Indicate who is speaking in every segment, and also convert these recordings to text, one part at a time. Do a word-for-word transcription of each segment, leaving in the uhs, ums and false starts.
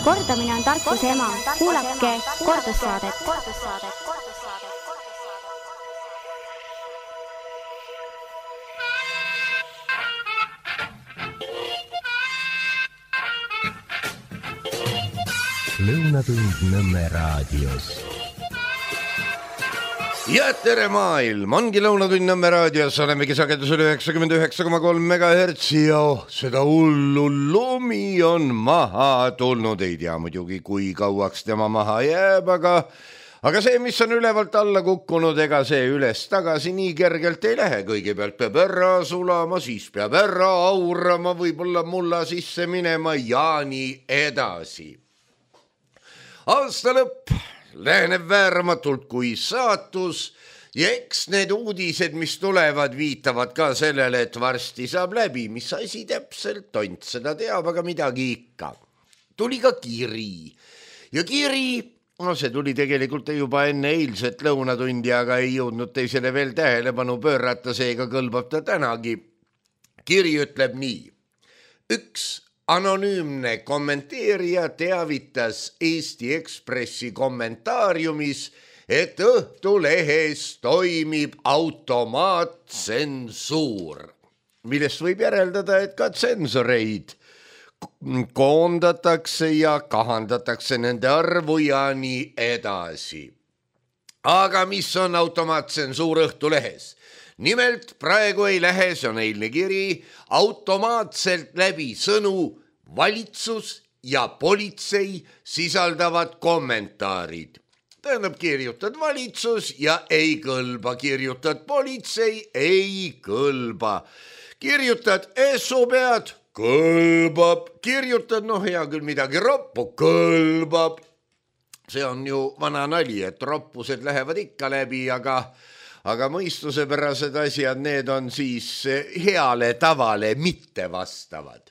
Speaker 1: Kordamine on tarkuse ema. Kuulake kordussaadet.
Speaker 2: Lõunatund Nõmme raadios.
Speaker 3: Ja tere maailm, ongi Lõunatund Nõmme raadios, olemegi sagedusel üheksakümmend üheksa koma kolm megahertsi ja seda hullu lumi on maha tulnud. Ei tea muidugi, kui kauaks tema maha jääb, aga, aga see, mis on ülevalt alla kukkunud, ega see üles tagasi nii kergelt ei lähe. Kõigepealt peab ära sulama, siis peab ära aurama, võib-olla mulla sisse minema ja nii edasi. Aasta lõpp läheneb vääramatult kui saatus ja eks need uudised, mis tulevad, viitavad ka sellele, et varsti saab läbi. Mis asi täpselt, tont seda teab, aga midagi ikka. Tuli ka kiri ja kiri, no see tuli tegelikult juba enne eilset lõunatundi, aga ei jõudnud teisele veel tähelepanu pöörata, seega kõlbab ta tänagi. Kiri ütleb nii. Üks anonüümne kommenteerija teavitas Eesti Ekspressi kommentaariumis, et Õhtulehes toimib automaattsensuur, millest võib järeldada, et ka tsensoreid koondatakse ja kahandatakse nende arvu ja nii edasi. Aga mis on automaattsensuur Õhtulehes? Nimelt praegu ei lähe, see on eilne kiri, automaatselt läbi sõnu valitsus ja politsei sisaldavad kommentaarid. Tähendab, kirjutad valitsus ja ei kõlba, kirjutad politsei, ei kõlba. Kirjutad essu pead, kõlbab, kirjutad, noh hea küll midagi roppu, kõlbab. See on ju vana nali, et roppused lähevad ikka läbi, aga... aga mõistusepärased asjad, need on siis heale tavale mitte vastavad.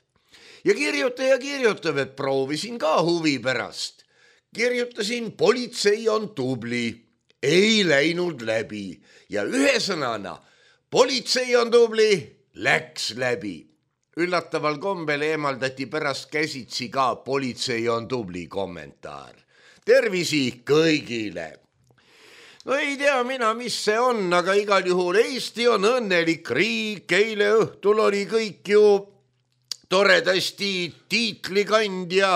Speaker 3: Ja kirjutaja kirjutab, et proovisin ka huvi pärast. Kirjutasin, politsei on tubli, ei läinud läbi. Ja ühe sõnana, politsei on tubli, läks läbi. Üllataval kombel eemaldati pärast käsitsi ka politsei on tubli kommentaar. Tervisi kõigile! No ei tea mina, mis see on, aga igal juhul Eesti on õnnelik riik. Eile õhtul oli kõik ju toredasti tiitlikandja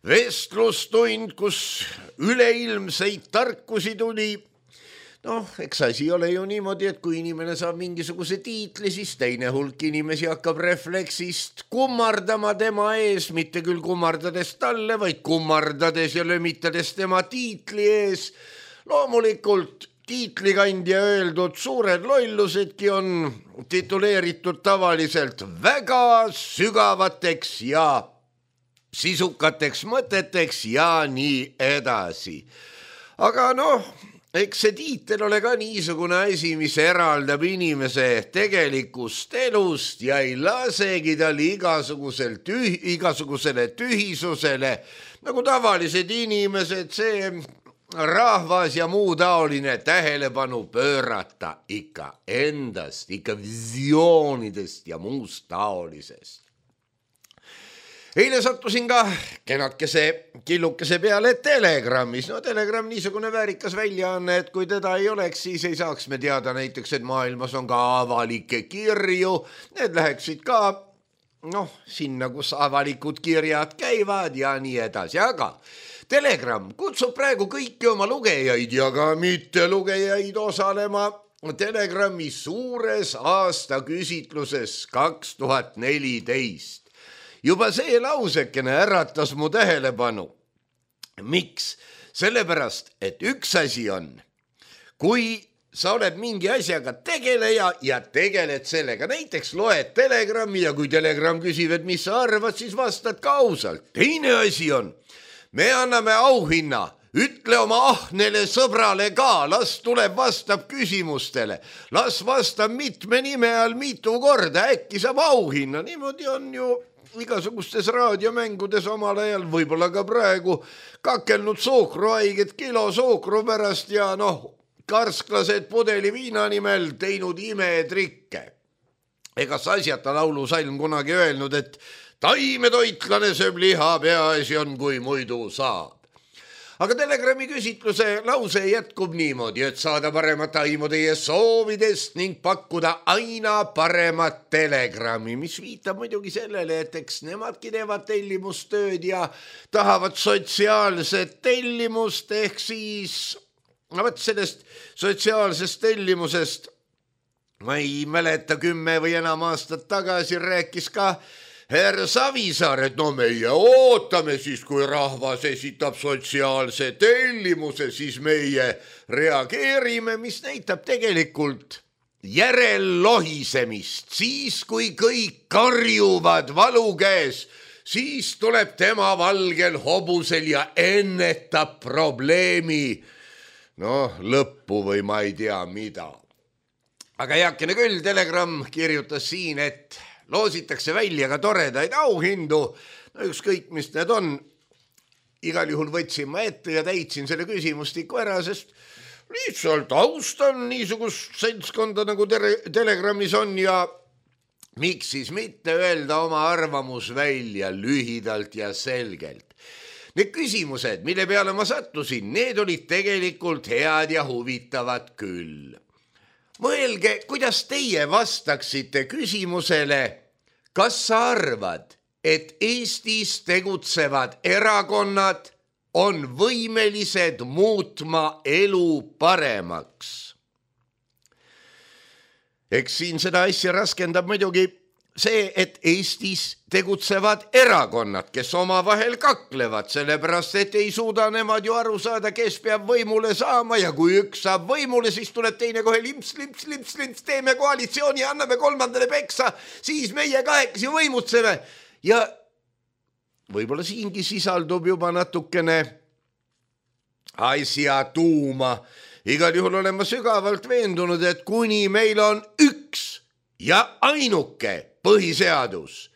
Speaker 3: vestlustund, kus üleilmseid tarkusi tuli. Noh, eks asi ole ju niimoodi, et kui inimene saab mingisuguse tiitli, siis teine hulk inimesi hakkab refleksist kummardama tema ees, mitte küll kummardades talle, vaid kummardades ja lömitades tema tiitli ees. Loomulikult tiitlikandja öeldud suured lollusedki on tituleeritud tavaliselt väga sügavateks ja sisukateks mõteteks ja nii edasi. Aga noh, eks see tiitel ole ka niisugune asi, mis eraldab inimese tegelikust elust ja ei lasegi tal igasugusel tüh- igasugusele tühisusele, nagu tavalised inimesed, see rahvas ja muu taoline tähelepanu pöörata ikka endast, ikka visioonidest ja muust taolisest. Eile sattusin ka kenakese killukese peale Telegramis. No Telegram niisugune väärikas väljaanne, et kui teda ei oleks, siis ei saaks me teada näiteks, et maailmas on ka avalikke kirju. Need läheksid ka, noh, sinna, kus avalikud kirjad käivad ja nii edasi, aga Telegram kutsub praegu kõiki oma lugejaid ja ka mitte lugejaid osalema Telegrami suures aasta küsitluses kaks tuhat neliteist. Juba see lausekene äratas mu tähelepanu. Miks? Sellepärast, et üks asi on, kui sa oled mingi asjaga tegeleja ja tegeled sellega, näiteks loed Telegrami ja kui Telegram küsib, et mis sa arvad, siis vastad ka ausalt. Teine asi on, me anname auhinna, ütle oma ahnele sõbrale ka, las tuleb vastab küsimustele, las vastab mitme nime all mitu korda, äkki saab auhinna. Niimoodi on ju igasugustes raadiomängudes omal ajal, võib-olla ka praegu, kakelnud suhkruhaiget kilo suhkru pärast ja noh, karsklased pudeli viina nimel teinud imetrikke. Ega asjata laulusalm kunagi öelnud, et taimetoitlane sööb liha, peaasi on, kui muidu saab. Aga Telegrami küsitluse lause jätkub niimoodi, et saada paremat aimu teie soovidest ning pakkuda aina paremat Telegrami, mis viitab muidugi sellele, et eks nemadki teevad tellimustööd ja tahavad sotsiaalset tellimust, ehk siis no võt sellest sotsiaalsest tellimusest ma ei mäleta kümme või enam aastat tagasi rääkis ka Herr Savisaar, et no meie ootame siis, kui rahvas esitab sotsiaalse tellimuse, siis meie reageerime, mis näitab tegelikult järellohisemist. Siis, kui kõik karjuvad valu käes, siis tuleb tema valgel hobusel ja ennetab probleemi. Noh, lõppu või ma ei tea mida. Aga heakene küll, Telegram kirjutas siin, et loositakse välja ka toredaid auhindu, no ükskõik, mis need on. Igal juhul võtsin ma ette ja täitsin selle küsimustiku ära, sest lihtsalt austan niisugust seltskonda nagu Telegramis on ja miks siis mitte öelda oma arvamus välja lühidalt ja selgelt. Need küsimused, mille peale ma sattusin, need olid tegelikult head ja huvitavad küll. Mõelge, kuidas teie vastaksite küsimusele, kas sa arvad, et Eestis tegutsevad erakonnad on võimelised muutma elu paremaks? Eks siin seda asja raskendab muidugi see, et Eestis tegutsevad erakonnad, kes omavahel kaklevad, sellepärast et ei suuda nemad ju aru saada, kes peab võimule saama ja kui üks saab võimule, siis tuleb teine kohe limps, limps, limps, limps, teeme koalitsiooni ja anname kolmandale peksa, siis meie kahekesi võimutseme. Ja võib-olla siingi sisaldub juba natukene asja tuuma. Igal juhul olen ma sügavalt veendunud, et kuni meil on üks ja ainuke põhiseadus,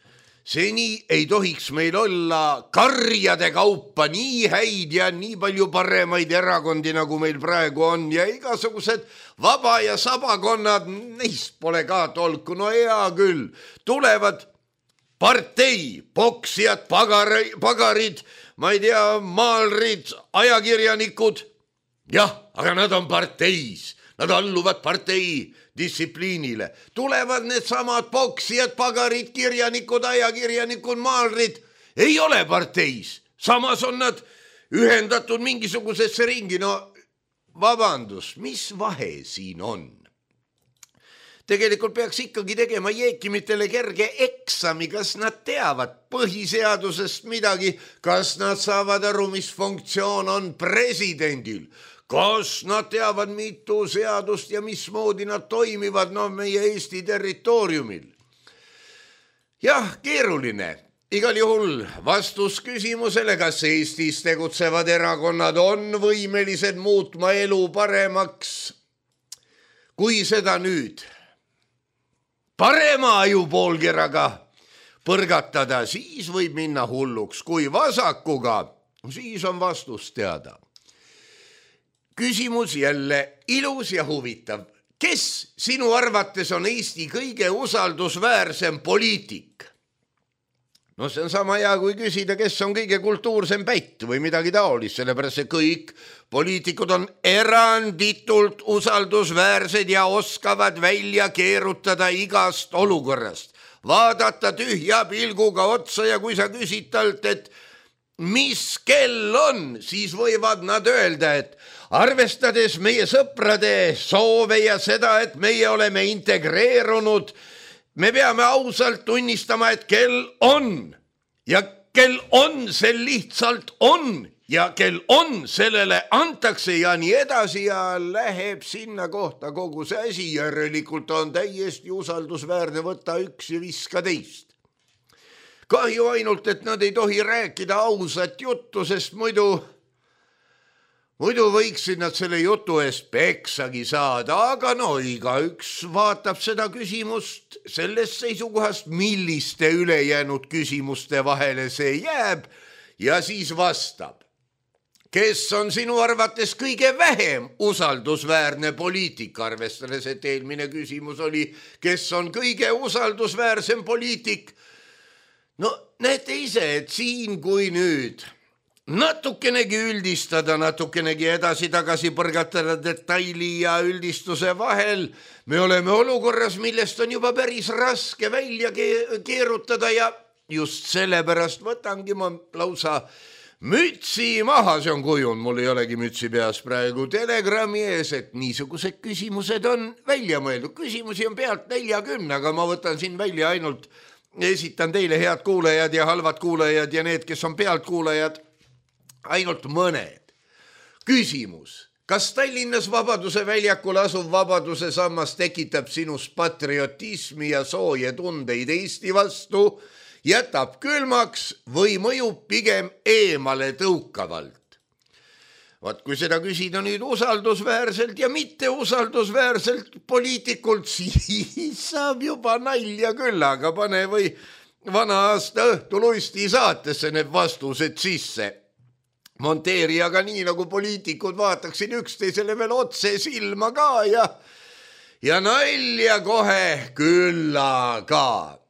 Speaker 3: seni ei tohiks meil olla karjade kaupa nii häid ja nii palju paremaid erakondi, nagu meil praegu on ja igasugused vaba- ja sabakonnad, neist pole ka tolku, no hea küll, tulevad partei, poksijad, pagarid, pagarid, ma ei tea, maalrid, ajakirjanikud, jah, aga nad on parteis, nad alluvad partei distsipliinile. Tulevad need samad poksijad, pagarid, kirjanikud, ajakirjanikud, maalrid, ei ole parteis. Samas on nad ühendatud mingisugusesse ringi. No vabandust, mis vahe siin on? Tegelikult peaks ikkagi tegema jeekimitele kerge eksami, kas nad teavad põhiseadusest midagi, kas nad saavad aru, mis funktsioon on presidendil, kas nad teavad mitu seadust ja mismoodi nad toimivad no, meie Eesti territooriumil. Jah, keeruline. Igal juhul vastus küsimusele, kas Eestis tegutsevad erakonnad on võimelised muutma elu paremaks. Kui seda nüüd parema ajupoolkeraga põrgatada, siis võib minna hulluks. Kui vasakuga, siis on vastus teada. Küsimus jälle ilus ja huvitav. Kes sinu arvates on Eesti kõige usaldusväärsem poliitik? No see on sama hea, kui küsida, kes on kõige kultuursem pätt või midagi taolist, sellepärast see kõik poliitikud on eranditult usaldusväärsed ja oskavad välja keerutada igast olukorrast. Vaadata tühja pilguga otsa ja kui sa küsid talt, et mis kell on, siis võivad nad öelda, et arvestades meie sõprade soove ja seda, et meie oleme integreerunud, me peame ausalt tunnistama, et kell on ja kell on, see lihtsalt on ja kell on, sellele antakse ja nii edasi ja läheb sinna kohta kogu see asi. Järelikult on täiesti usaldusväärne võtta üks ja viska teist. Kahju ainult, et nad ei tohi rääkida ausat juttu, sest muidu, muidu võiksid nad selle jutu eest peksagi saada, aga no igaüks vaatab seda küsimust sellest seisukohast, milliste ülejäänud küsimuste vahele see jääb ja siis vastab. Kes on sinu arvates kõige vähem usaldusväärne poliitik, arvestades, et eelmine küsimus oli, kes on kõige usaldusväärsem poliitik? no näete ise, et siin kui nüüd natukenegi üldistada, natukenegi edasi-tagasi põrgatada detaili ja üldistuse vahel, me oleme olukorras, millest on juba päris raske välja keerutada ja just sellepärast võtangi ma lausa mütsi maha, see on kujund, mul ei olegi mütsi peas praegu Telegrami ees, et niisugused küsimused on välja mõeldud. Küsimusi on pealt neljakümne, aga ma võtan siin välja ainult, esitan teile head kuulajad ja halvad kuulajad ja need, kes on pealt kuulajad, ainult mõned. Küsimus. Kas Tallinnas Vabaduse väljakul asuv Vabaduse sammas tekitab sinus patriotismi ja sooje tundeid Eesti vastu, jätab külmaks või mõjub pigem eemale tõukavalt? Vaat kui seda küsida nüüd usaldusväärselt ja mitte usaldusväärselt poliitikult, siis saab juba nalja küll, aga pane või vana aasta õhtuluisti saatesse need vastused sisse. Monteeri aga nii, nagu poliitikud vaataksid üksteisele veel otse silma ka ja, ja nalja kohe külla ka.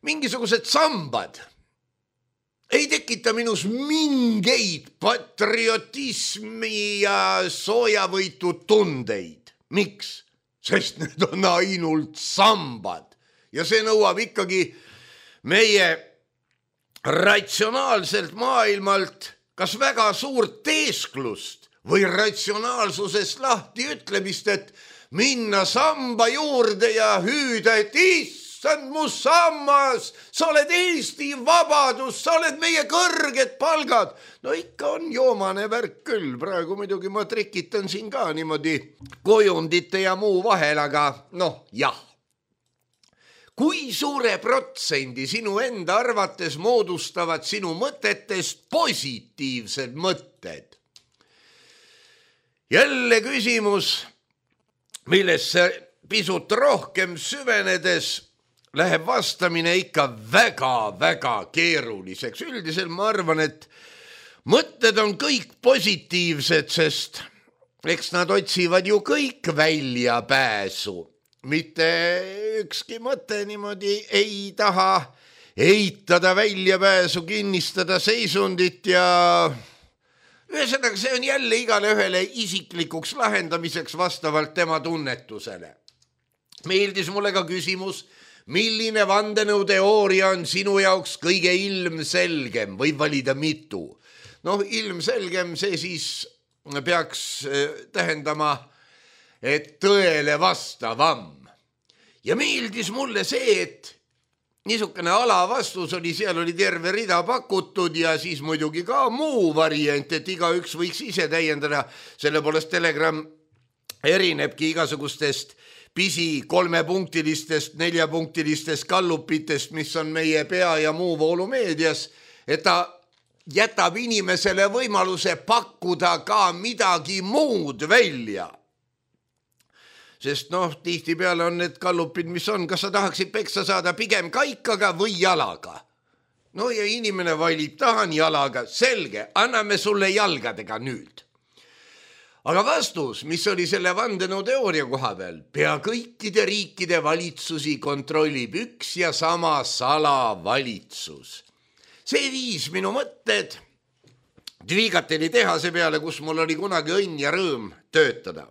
Speaker 3: Mingisugused sambad ei tekita minus mingeid patriotismi ja soojavõitu tundeid. Miks? Sest need on ainult sambad ja see nõuab ikkagi meie ratsionaalselt maailmalt kas väga suurt teesklust või ratsionaalsusest lahti ütlemist, et minna samba juurde ja hüüda, et issand mu sammas, sa oled Eesti vabadus, sa oled meie kõrged palgad. No ikka on joomane värk küll, praegu muidugi ma trikitan siin ka niimoodi kujundite ja muu vahel, aga noh, jah. Kui suure protsendi sinu enda arvates moodustavad sinu mõtetest positiivsed mõtted? Jälle küsimus, millesse pisut rohkem süvenedes läheb vastamine ikka väga-väga keeruliseks. Üldiselt ma arvan, et mõtted on kõik positiivsed, sest eks nad otsivad ju kõik välja pääsu. Mitte ükski mõte niimoodi ei taha eitada väljapääsu, kinnistada seisundit ja ühesõnaga see on jälle igale ühele isiklikuks lahendamiseks vastavalt tema tunnetusele. Meeldis mulle ka küsimus, milline vandenõuteooria on sinu jaoks kõige ilmselgem, võib valida mitu. Noh, ilmselgem see siis peaks tähendama, et tõele vastavam. Ja meeldis mulle see, et niisugune alavastus oli, seal oli terve rida pakutud ja siis muidugi ka muu variant, et iga üks võiks ise täiendada. Selle poolest Telegram erinebki igasugustest pisi kolmepunktilistest, neljapunktilistest kallupitest, mis on meie pea ja muu voolumeedias, et ta jätab inimesele võimaluse pakkuda ka midagi muud välja. Sest noh, tihti peale on need kallupid, mis on, kas sa tahaksid peksa saada pigem kaikaga või jalaga. No ja inimene valib, tahan jalaga, selge, anname sulle jalgadega nüüd. Aga vastus, mis oli selle vandenõuteooria koha peal, pea kõikide riikide valitsusi kontrollib üks ja sama salavalitsus. See viis minu mõtted Dvigateli tehase peale, kus mul oli kunagi õnn ja rõõm töötada.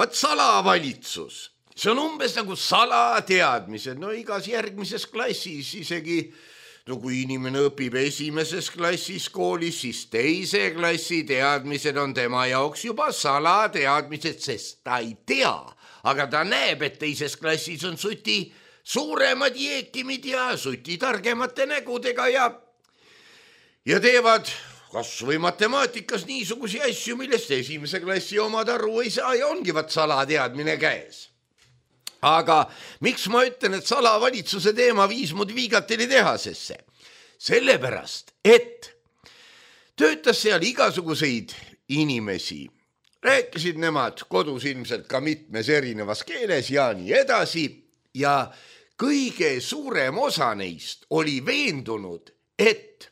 Speaker 3: Vaat salavalitsus, see on umbes nagu salateadmised, no igas järgmises klassis isegi, no kui inimene õpib esimeses klassis koolis, siis teise klassi teadmised on tema jaoks juba salateadmised, sest ta ei tea, aga ta näeb, et teises klassis on suti suuremad jeekimid ja suti targemate nägudega ja, ja teevad kas või matemaatikas niisugusi asju, millest esimese klassi omad aru ei saa ja ongi vat salateadmine käes. Aga miks ma ütlen, et salavalitsuse teema viis mu Dvigateli tehasesse? Sellepärast, et töötas seal igasuguseid inimesi. Rääkisid nemad kodus ilmselt ka mitmes erinevas keeles ja nii edasi. Ja kõige suurem osa neist oli veendunud, et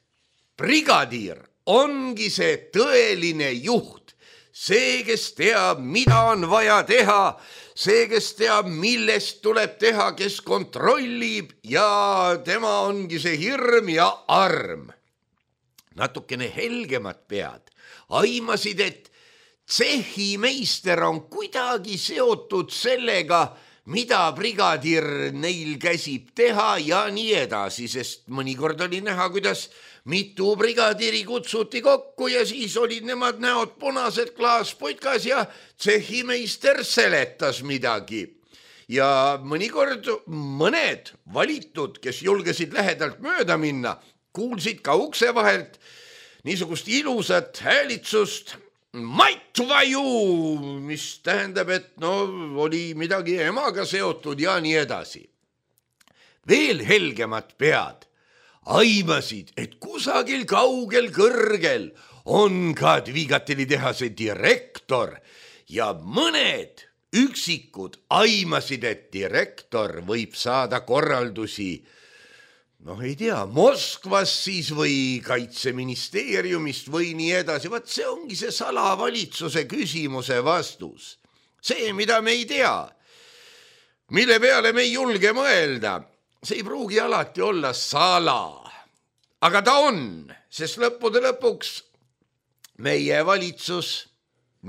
Speaker 3: brigadiir ongi see tõeline juht, see, kes teab, mida on vaja teha, see, kes teab, millest tuleb teha, kes kontrollib ja tema ongi see hirm ja arm. Natukene helgemad pead aimasid, et tsehhimeister on kuidagi seotud sellega, mida brigadir neil käsib teha ja nii edasi, sest mõnikord oli näha, kuidas mitu brigadiri kutsuti kokku ja siis olid nemad näod punased klaasputkas ja tsehhimeister seletas midagi. Ja mõnikord mõned valitud, kes julgesid lähedalt mööda minna, kuulsid ka ukse vahelt niisugust ilusat häälitsust maitvaju, mis tähendab, et no oli midagi emaga seotud ja nii edasi. Veel helgemad pead aimasid, et kusagil kaugel kõrgel on ka Dvigateli tehase direktor ja mõned üksikud aimasid, et direktor võib saada korraldusi noh, ei tea, Moskvas siis või kaitseministeeriumist või nii edasi. Vaat see ongi see salavalitsuse küsimuse vastus. See, mida me ei tea, mille peale me ei julge mõelda, see ei pruugi alati olla sala. Aga ta on, sest lõppude lõpuks meie valitsus,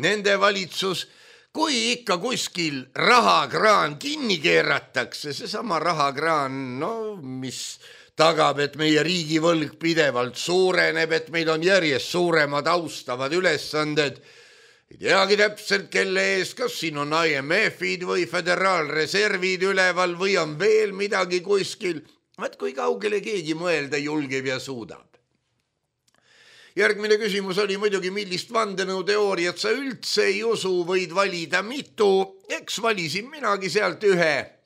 Speaker 3: nende valitsus, kui ikka kuskil rahakraan kinni keeratakse, seesama rahakraan, no mis tagab, et meie riigivõlg pidevalt suureneb, et meil on järjest suuremad austavad ülesanded. Ei teagi täpselt, kelle ees, kas siin on I M F-id või föderaalreservid üleval või on veel midagi kuskil. Vaat kui kaugele keegi mõelda julgeb ja suudab. Järgmine küsimus oli muidugi, millist vandenõuteooriat sa üldse ei usu, võid valida mitu. Eks valisin minagi sealt ühe.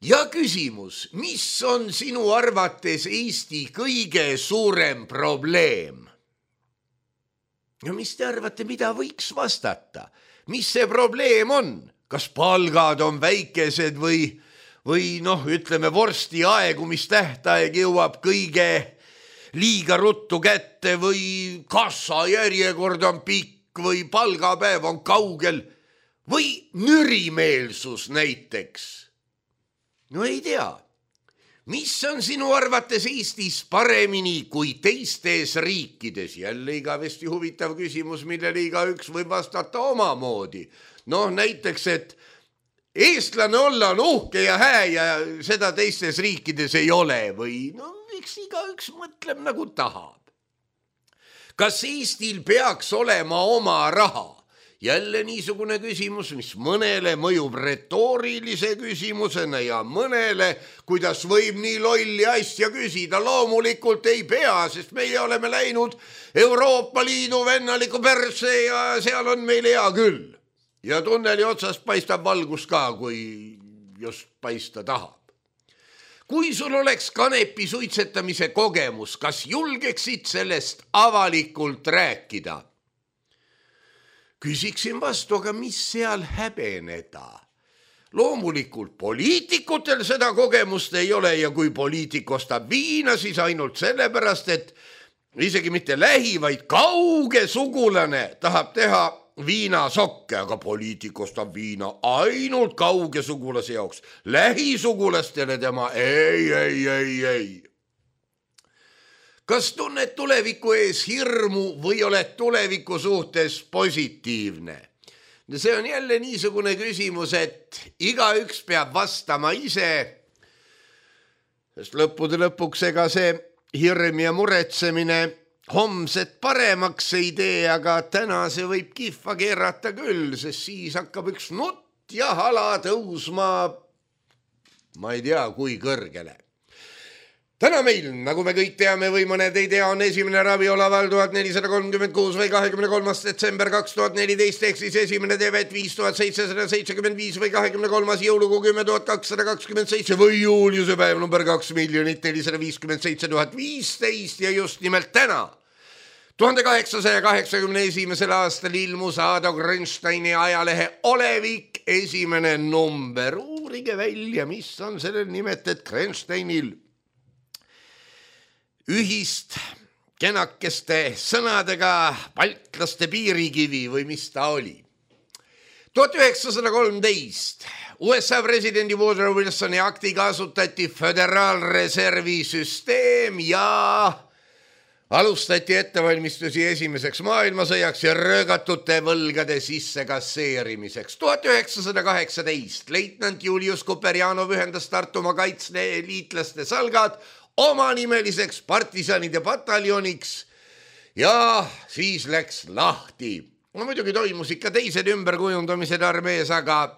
Speaker 3: Ja küsimus, mis on sinu arvates Eesti kõige suurem probleem? Ja mis te arvate, mida võiks vastata? Mis see probleem on? Kas palgad on väikesed või, või noh, ütleme vorsti aegumistähtaeg jõuab kõige liiga ruttu kätte või kassa järjekord on pikk või palgapäev on kaugel või nürimeelsus näiteks? No ei tea, mis on sinu arvates Eestis paremini kui teistes riikides? Jälle igavesti huvitav küsimus, millele igaüks võib vastata omamoodi. Noh, näiteks, et eestlane olla on uhke ja hää ja seda teistes riikides ei ole või no, eks igaüks mõtleb nagu tahab. Kas Eestil peaks olema oma raha? Jälle niisugune küsimus, mis mõnele mõjub retoorilise küsimusena ja mõnele, kuidas võib nii lolli asja küsida. Loomulikult ei pea, sest meie oleme läinud Euroopa Liidu vennaliku perse ja seal on meil hea küll. Ja tunneli otsast paistab valgus ka, kui just paista tahab. Kui sul oleks kanepi suitsetamise kogemus, kas julgeksid sellest avalikult rääkida? Küsiksin vastu, aga mis seal häbeneda? Loomulikult poliitikutel seda kogemust ei ole ja kui poliitik ostab viina, siis ainult sellepärast, et isegi mitte lähi, vaid kauge sugulane tahab teha viinasokke, aga poliitik ostab viina ainult kauge sugulase jaoks. Lähisugulastele tema ei, ei, ei, ei. Kas tunned tuleviku ees hirmu või oled tuleviku suhtes positiivne? See on jälle niisugune küsimus, et igaüks peab vastama ise, sest lõppude lõpuks ega see hirm ja muretsemine homset paremaks ei tee, aga täna see võib kihva keerata küll, sest siis hakkab üks nutt ja hala tõusma, ma ei tea, kui kõrgele. Täna meil, nagu me kõik teame või mõned ei tea, on esimene ravioleval tuhat nelisada kolmkümmend kuus või kahekümne kolmas detsember kaks tuhat neliteist, ehk siis esimene tevet viis tuhat seitsesada seitsekümmend viis või kahekümne kolmas jõulukuu kümme tuhat kakssada kakskümmend seitse või juuliuse päev number kaks miljonit nelisada viiskümmend seitse tuhat viisteist ja just nimelt täna. tuhande kaheksasaja kaheksakümne esimesel aastal ilmus Ado Grensteini ajalehe Olevik esimene number. Uurige välja, mis on sellel nimet, et Grensteinil ühist kenakeste sõnadega baltlaste piirikivi või mis ta oli. tuhat üheksasada kolmteist U S A presidendi Woodrow Wilsoni aktiga asutati föderaalreservi süsteem ja alustati ettevalmistusi esimeseks maailmasõjaks ja röögatute võlgade sisse kasseerimiseks. tuhat üheksasada kaheksateist leitnant Julius Kuperjanov ühendas Tartumaa kaitseliitlaste salgad omanimeliseks partisanide pataljoniks ja siis läks lahti. No muidugi toimus ikka teised ümberkujundamised armees, aga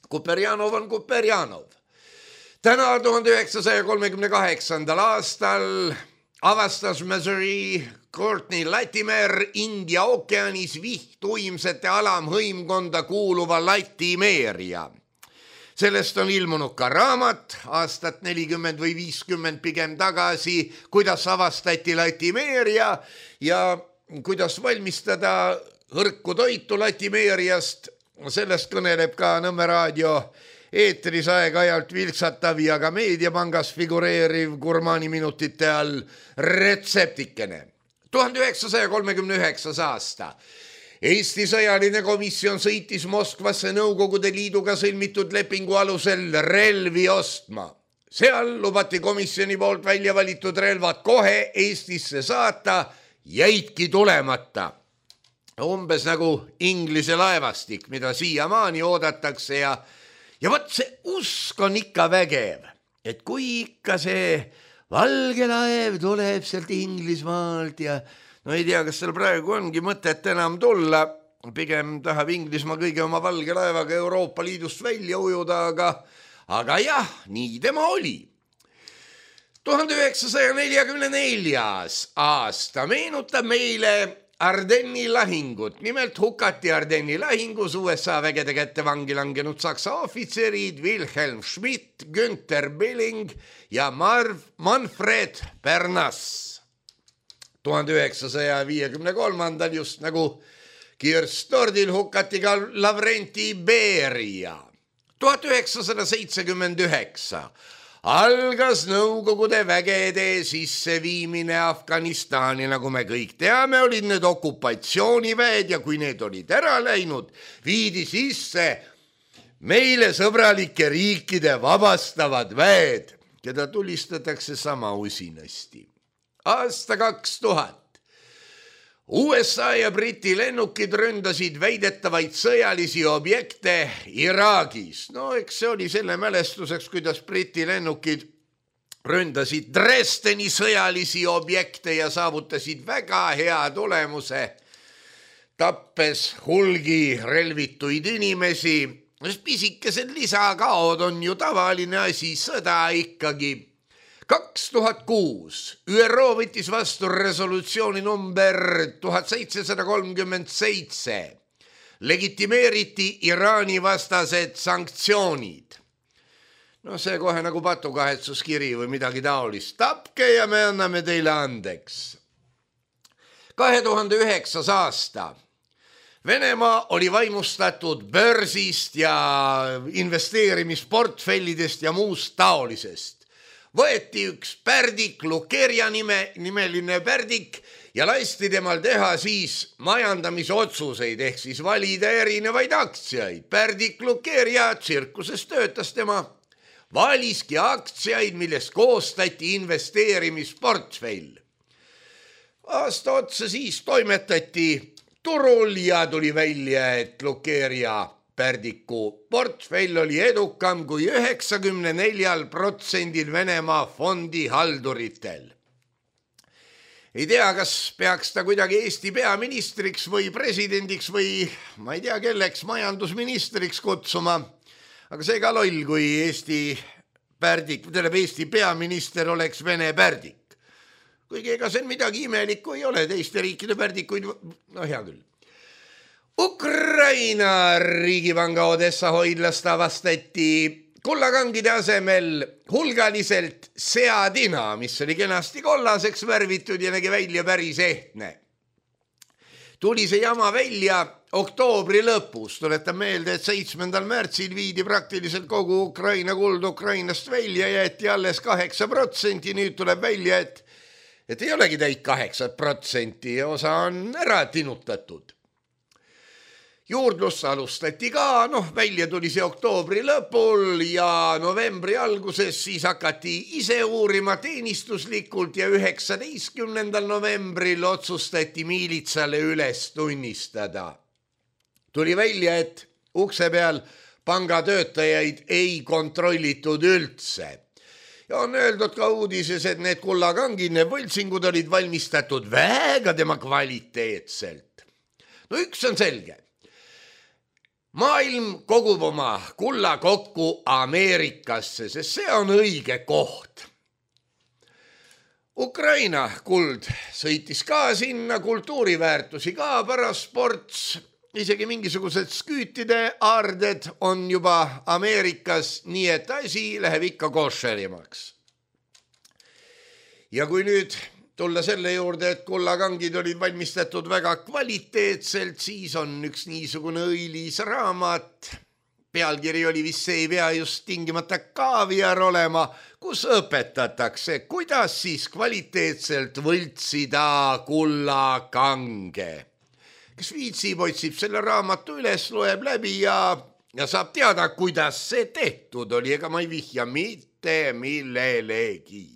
Speaker 3: Kuperjanov on Kuperjanov. Täna tuhande üheksasaja kolmekümne kaheksandal aastal avastas Missouri Courtney Latimer India ookeanis vihtuimsete alamhõimkonda kuuluva Latimeria. Sellest on ilmunud ka raamat aastat nelikümmend või viiskümmend pigem tagasi, kuidas avastati Latimeria ja kuidas valmistada hõrku toitu Latimeriast. Sellest kõneleb ka Nõmme raadio eetris aeg-ajalt vilksatav ja ka meediapangas figureeriv gurmaani minutite all retseptikene. tuhande üheksasaja kolmekümne üheksas aasta. Eesti sõjaline komisjon sõitis Moskvasse Nõukogude Liiduga sõlmitud lepingu alusel relvi ostma. Seal lubati komisjoni poolt välja valitud relvad kohe Eestisse saata, jäidki tulemata. Umbes nagu Inglise laevastik, mida siiamaani oodatakse ja, ja võt see usk on ikka vägev, et kui ikka see valge laev tuleb sealt Inglismaalt ja no ei tea, kas seal praegu ongi mõtet enam tulla, pigem tahab Inglismaa kõige oma valge laevaga Euroopa Liidust välja ujuda, aga, aga jah, nii tema oli. tuhande üheksasaja neljakümne neljas aasta meenutab meile Ardenni lahingut. Nimelt hukati Ardenni lahingus U S A vägede kätte vangi langenud saksa ohvitserid Wilhelm Schmidt, Günther Billing ja Marv Manfred Bernas. tuhande üheksasaja viiekümne kolmandal just nagu Kirstordil hukati ka Lavrenti Beria. tuhat üheksasada seitsekümmend üheksa algas Nõukogude vägede sisseviimine Afganistani, nagu me kõik teame, olid need okupatsiooniväed ja kui need olid ära läinud, viidi sisse meile sõbralike riikide vabastavad väed, keda tulistatakse sama usinasti. Aasta kaks tuhat. U S A ja Briti lennukid ründasid väidetavaid sõjalisi objekte Iraagis. No eks see oli selle mälestuseks, kuidas Briti lennukid ründasid Dresdeni sõjalisi objekte ja saavutasid väga hea tulemuse, tappes hulgi relvituid inimesi. Pisikesed lisakaod on ju tavaline asi, sõda ikkagi. kaks tuhat kuus Ü R O võttis vastu resolutsiooni number tuhat seitsesada kolmkümmend seitse. Legitimeeriti Iraani vastased sanktsioonid. No see kohe nagu patukahetsuskiri või midagi taolist. Tapke ja me anname teile andeks. kahe tuhande üheksas aasta. Venemaa oli vaimustatud börsist ja investeerimisportfellidest ja muust taolisest. Võeti üks pärdik, Lukeria nime, nimeline pärdik ja lasti temal teha siis majandamisotsuseid ehk siis valida erinevaid aktsiaid. Pärdik Lukeria tsirkuses töötas tema, valiski aktsiaid, millest koostati investeerimisportfell. Aasta otsa siis toimetati turul ja tuli välja, et Lukeria pärdiku portfell oli edukam kui üheksakümne neljal protsendil Venemaa fondihalduritel. Ei tea, kas peaks ta kuidagi Eesti peaministriks või presidendiks või ma ei tea, kelleks majandusministriks kutsuma, aga see ka loll, kui Eesti pärdik, tähendab Eesti peaminister oleks Vene pärdik. Kuigi ega see midagi imelikku ei ole, teiste riikide pärdikuid, no hea küll. Ukraina riigipanga Odessa hoidlast avastati kullakangide asemel hulgaliselt seadina, mis oli kenasti kollaseks värvitud ja nägi välja päris ehtne. Tuli see jama välja oktoobri lõpus. Tuletan meelde, et seitsmendal märtsil viidi praktiliselt kogu Ukraina kuld Ukrainast välja, jäeti alles kaheksa protsenti. Nüüd tuleb välja, et et ei olegi täit kaheksa protsenti ja osa on ära tinutatud. Juurdlus alustati ka, noh, välja tuli see oktoobri lõpul ja novembri alguses siis hakati ise uurima teenistuslikult ja üheksateistkümnendal novembril otsustati miilitsale üles tunnistada. Tuli välja, et ukse peal pangatöötajaid ei kontrollitud üldse. Ja on öeldud ka uudises, et need kullakangid, need võltsingud olid valmistatud väga tema kvaliteetselt. No üks on selge. Maailm kogub oma kulla kokku Ameerikasse, sest see on õige koht. Ukraina kuld sõitis ka sinna, kultuuriväärtusi ka pärast sports, isegi mingisugused sküütide aarded on juba Ameerikas, nii et asi läheb ikka košerimaks. Ja kui nüüd tulla selle juurde, et kullakangid olid valmistatud väga kvaliteetselt, siis on üks niisugune õilis raamat. Pealkiri oli vist see, ei pea just tingimata kaaviar olema, kus õpetatakse, kuidas siis kvaliteetselt võltsida kullakange. Kes viitsib, otsib selle raamatu üles, loeb läbi ja, ja saab teada, kuidas see tehtud oli, ega ma ei vihja mitte millelegi.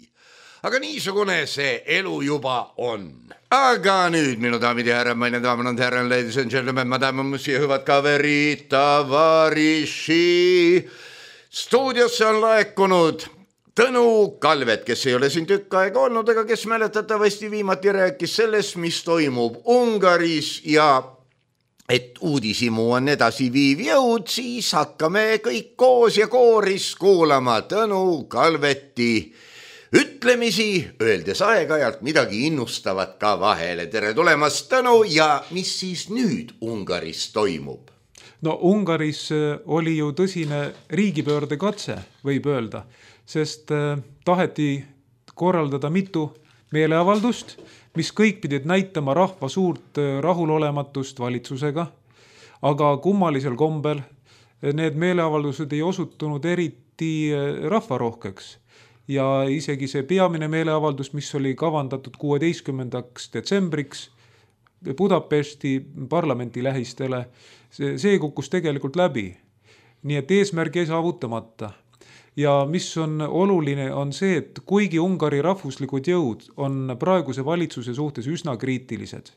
Speaker 3: Aga niisugune see elu juba on. Aga nüüd, minu daamid ja härrad, meine daamid ja härrad, ladies and gentlemen, madame, monsieur, hüvad kaverid, tavariši. Stuudiosse on laekunud Tõnu Kalvet, kes ei ole siin tükk aega olnud, aga kes mäletatavasti viimati rääkis sellest, mis toimub Ungaris ja et uudisimu on edasi viiv jõud, siis hakkame kõik koos ja kooris kuulama Tõnu Kalveti ütlemisi, öeldes aeg-ajalt midagi innustavat ka vahele. Tere tulemast, Tõnu, ja mis siis nüüd Ungaris toimub?
Speaker 4: No Ungaris oli ju tõsine riigipöörde katse, võib öelda, sest taheti korraldada mitu meeleavaldust, mis kõik pidid näitama rahva suurt rahulolematust valitsusega, aga kummalisel kombel need meeleavaldused ei osutunud eriti rahvarohkeks. Ja isegi see peamine meeleavaldus, mis oli kavandatud kuueteistkümnendaks detsembriks Budapesti parlamenti lähistele, see, see kukkus tegelikult läbi. Nii et eesmärk ei saavutamata. Ja mis on oluline on see, et kuigi Ungari rahvuslikud jõud on praeguse valitsuse suhtes üsna kriitilised,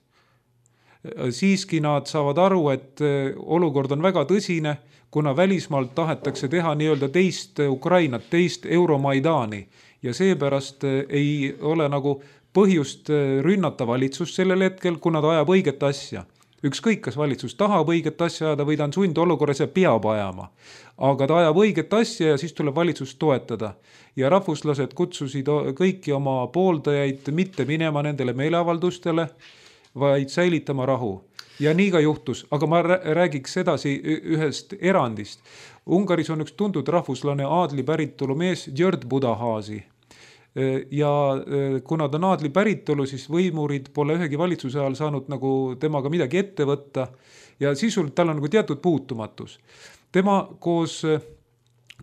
Speaker 4: siiski nad saavad aru, et olukord on väga tõsine, kuna välismaalt tahetakse teha nii-öelda teist Ukrainat, teist Euromaidani ja seepärast ei ole nagu põhjust rünnata valitsust sellel hetkel, kuna ta ajab õiget asja. Ükskõik, kas valitsus tahab õiget asja ajada või ta on sundolukorras ja peab ajama. Aga ta ajab õiget asja ja siis tuleb valitsust toetada. Ja rahvuslased kutsusid kõiki oma pooldajaid mitte minema nendele meeleavaldustele, vaid säilitama rahu. Ja nii ka juhtus, aga ma räägiks edasi ühest erandist. Ungaris on üks tuntud rahvuslane aadli päritolu mees György Budaházy. Ja kuna ta on aadli päritolu, siis võimurid pole ühegi valitsuse ajal saanud nagu temaga midagi ette võtta ja sisult tal on nagu teatud puutumatus. Tema koos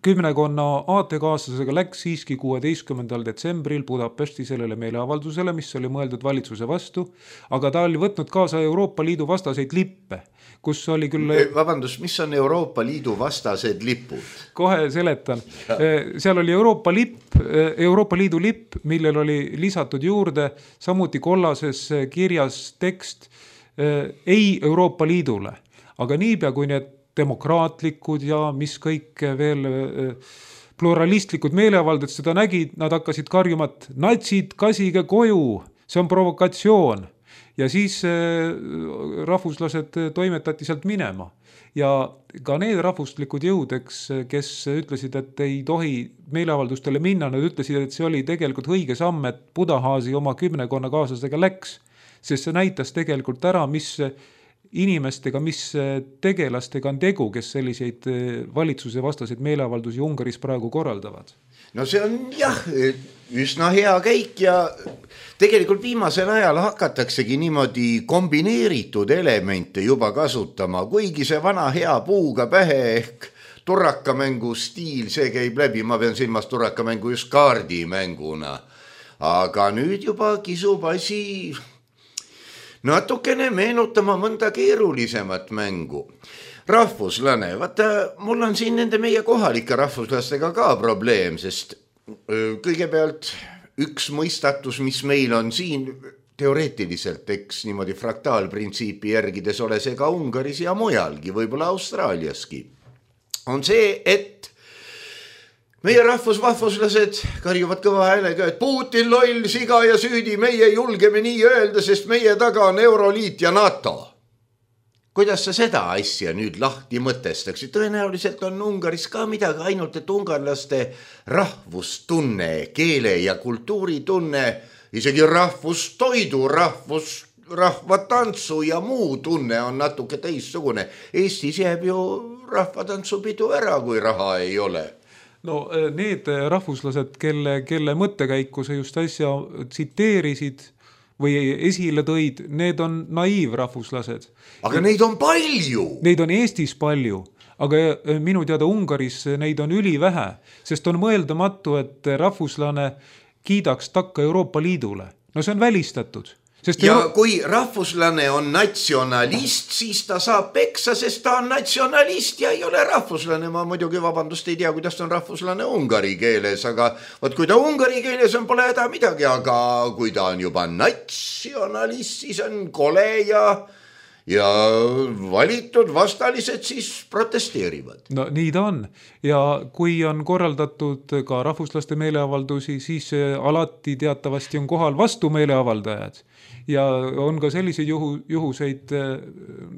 Speaker 4: kümnekonna aatekaaslasega läks siiski kuueteistkümnendal detsembril Budapesti sellele meeleavaldusele, mis oli mõeldud valitsuse vastu, aga ta oli võtnud kaasa Euroopa Liidu vastaseid lippe, kus oli küll...
Speaker 3: Vabandust, mis on Euroopa Liidu vastased lipud?
Speaker 4: Kohe seletan. Seal oli Euroopa lipp, Euroopa Liidu lipp, millel oli lisatud juurde samuti kollases kirjas tekst ei Euroopa Liidule, aga niipea kui need demokraatlikud ja mis kõik veel pluralistlikud meeleavaldajad seda nägid, nad hakkasid karjuma, et natsid, kasige koju, see on provokatsioon. Ja siis rahvuslased toimetati sealt minema. Ja ka need rahvuslikud jõudeks, kes ütlesid, et ei tohi meeleavaldustele minna, nad ütlesid, et see oli tegelikult õige samm, et Budaházy oma kümnekonna kaaslasega läks, sest see näitas tegelikult ära, mis inimestega, mis tegelastega on tegu, kes selliseid valitsuse vastaseid meeleavaldusi Ungaris praegu korraldavad?
Speaker 3: No see on jah, üsna hea käik ja tegelikult viimasel ajal hakataksegi niimoodi kombineeritud elemente juba kasutama, kuigi see vana hea puuga pähe ehk turrakamängu stiil, see käib läbi, ma pean silmas turrakamängu just kaardimänguna. aga nüüd juba kisub asi natukene meenutama mõnda keerulisemat mängu. Rahvuslane, vaata, mul on siin nende meie kohalike rahvuslastega ka probleem, sest kõigepealt üks mõistatus, mis meil on siin teoreetiliselt, eks niimoodi fraktaalprintsiipi järgides ole see ka Ungaris ja mujalgi, võib-olla Austraaliaski, on see, et meie rahvusvahvuslased karjuvad kõva häälega, et Putin loll, siga ja süüdi, meie julgeme nii öelda, sest meie taga on Euroliit ja NATO. Kuidas sa seda asja nüüd lahti mõtestaksid? Tõenäoliselt on Ungaris ka midagi, ainult et ungarlaste rahvustunne, keele ja kultuuritunne, isegi rahvustoidu, rahvus, rahvatantsu ja muu tunne on natuke teissugune. Eestis jääb ju rahvatantsupidu ära, kui raha ei ole.
Speaker 4: No need rahvuslased, kelle, kelle mõttekäiku sa just asja tsiteerisid või esile tõid, need on naiivrahvuslased.
Speaker 3: Aga ja neid on palju.
Speaker 4: Neid on Eestis palju, aga minu teada Ungaris neid on ülivähe, sest on mõeldamatu, et rahvuslane kiidaks takka Euroopa Liidule. No see on välistatud. Sest
Speaker 3: ja
Speaker 4: Euro...
Speaker 3: kui rahvuslane on natsionalist, siis ta saab peksa, sest ta on natsionalist ja ei ole rahvuslane. Ma muidugi vabandust ei tea, kuidas on rahvuslane ungari keeles, aga võt, kui ta ungari keeles on, pole häda midagi, aga kui ta on juba natsionalist, siis on kole ja, ja valitud vastalised siis protesteerivad.
Speaker 4: No nii ta on. Ja kui on korraldatud ka rahvuslaste meeleavaldusi, siis alati teatavasti on kohal vastu meeleavaldajad. Ja on ka selliseid juhu, juhuseid,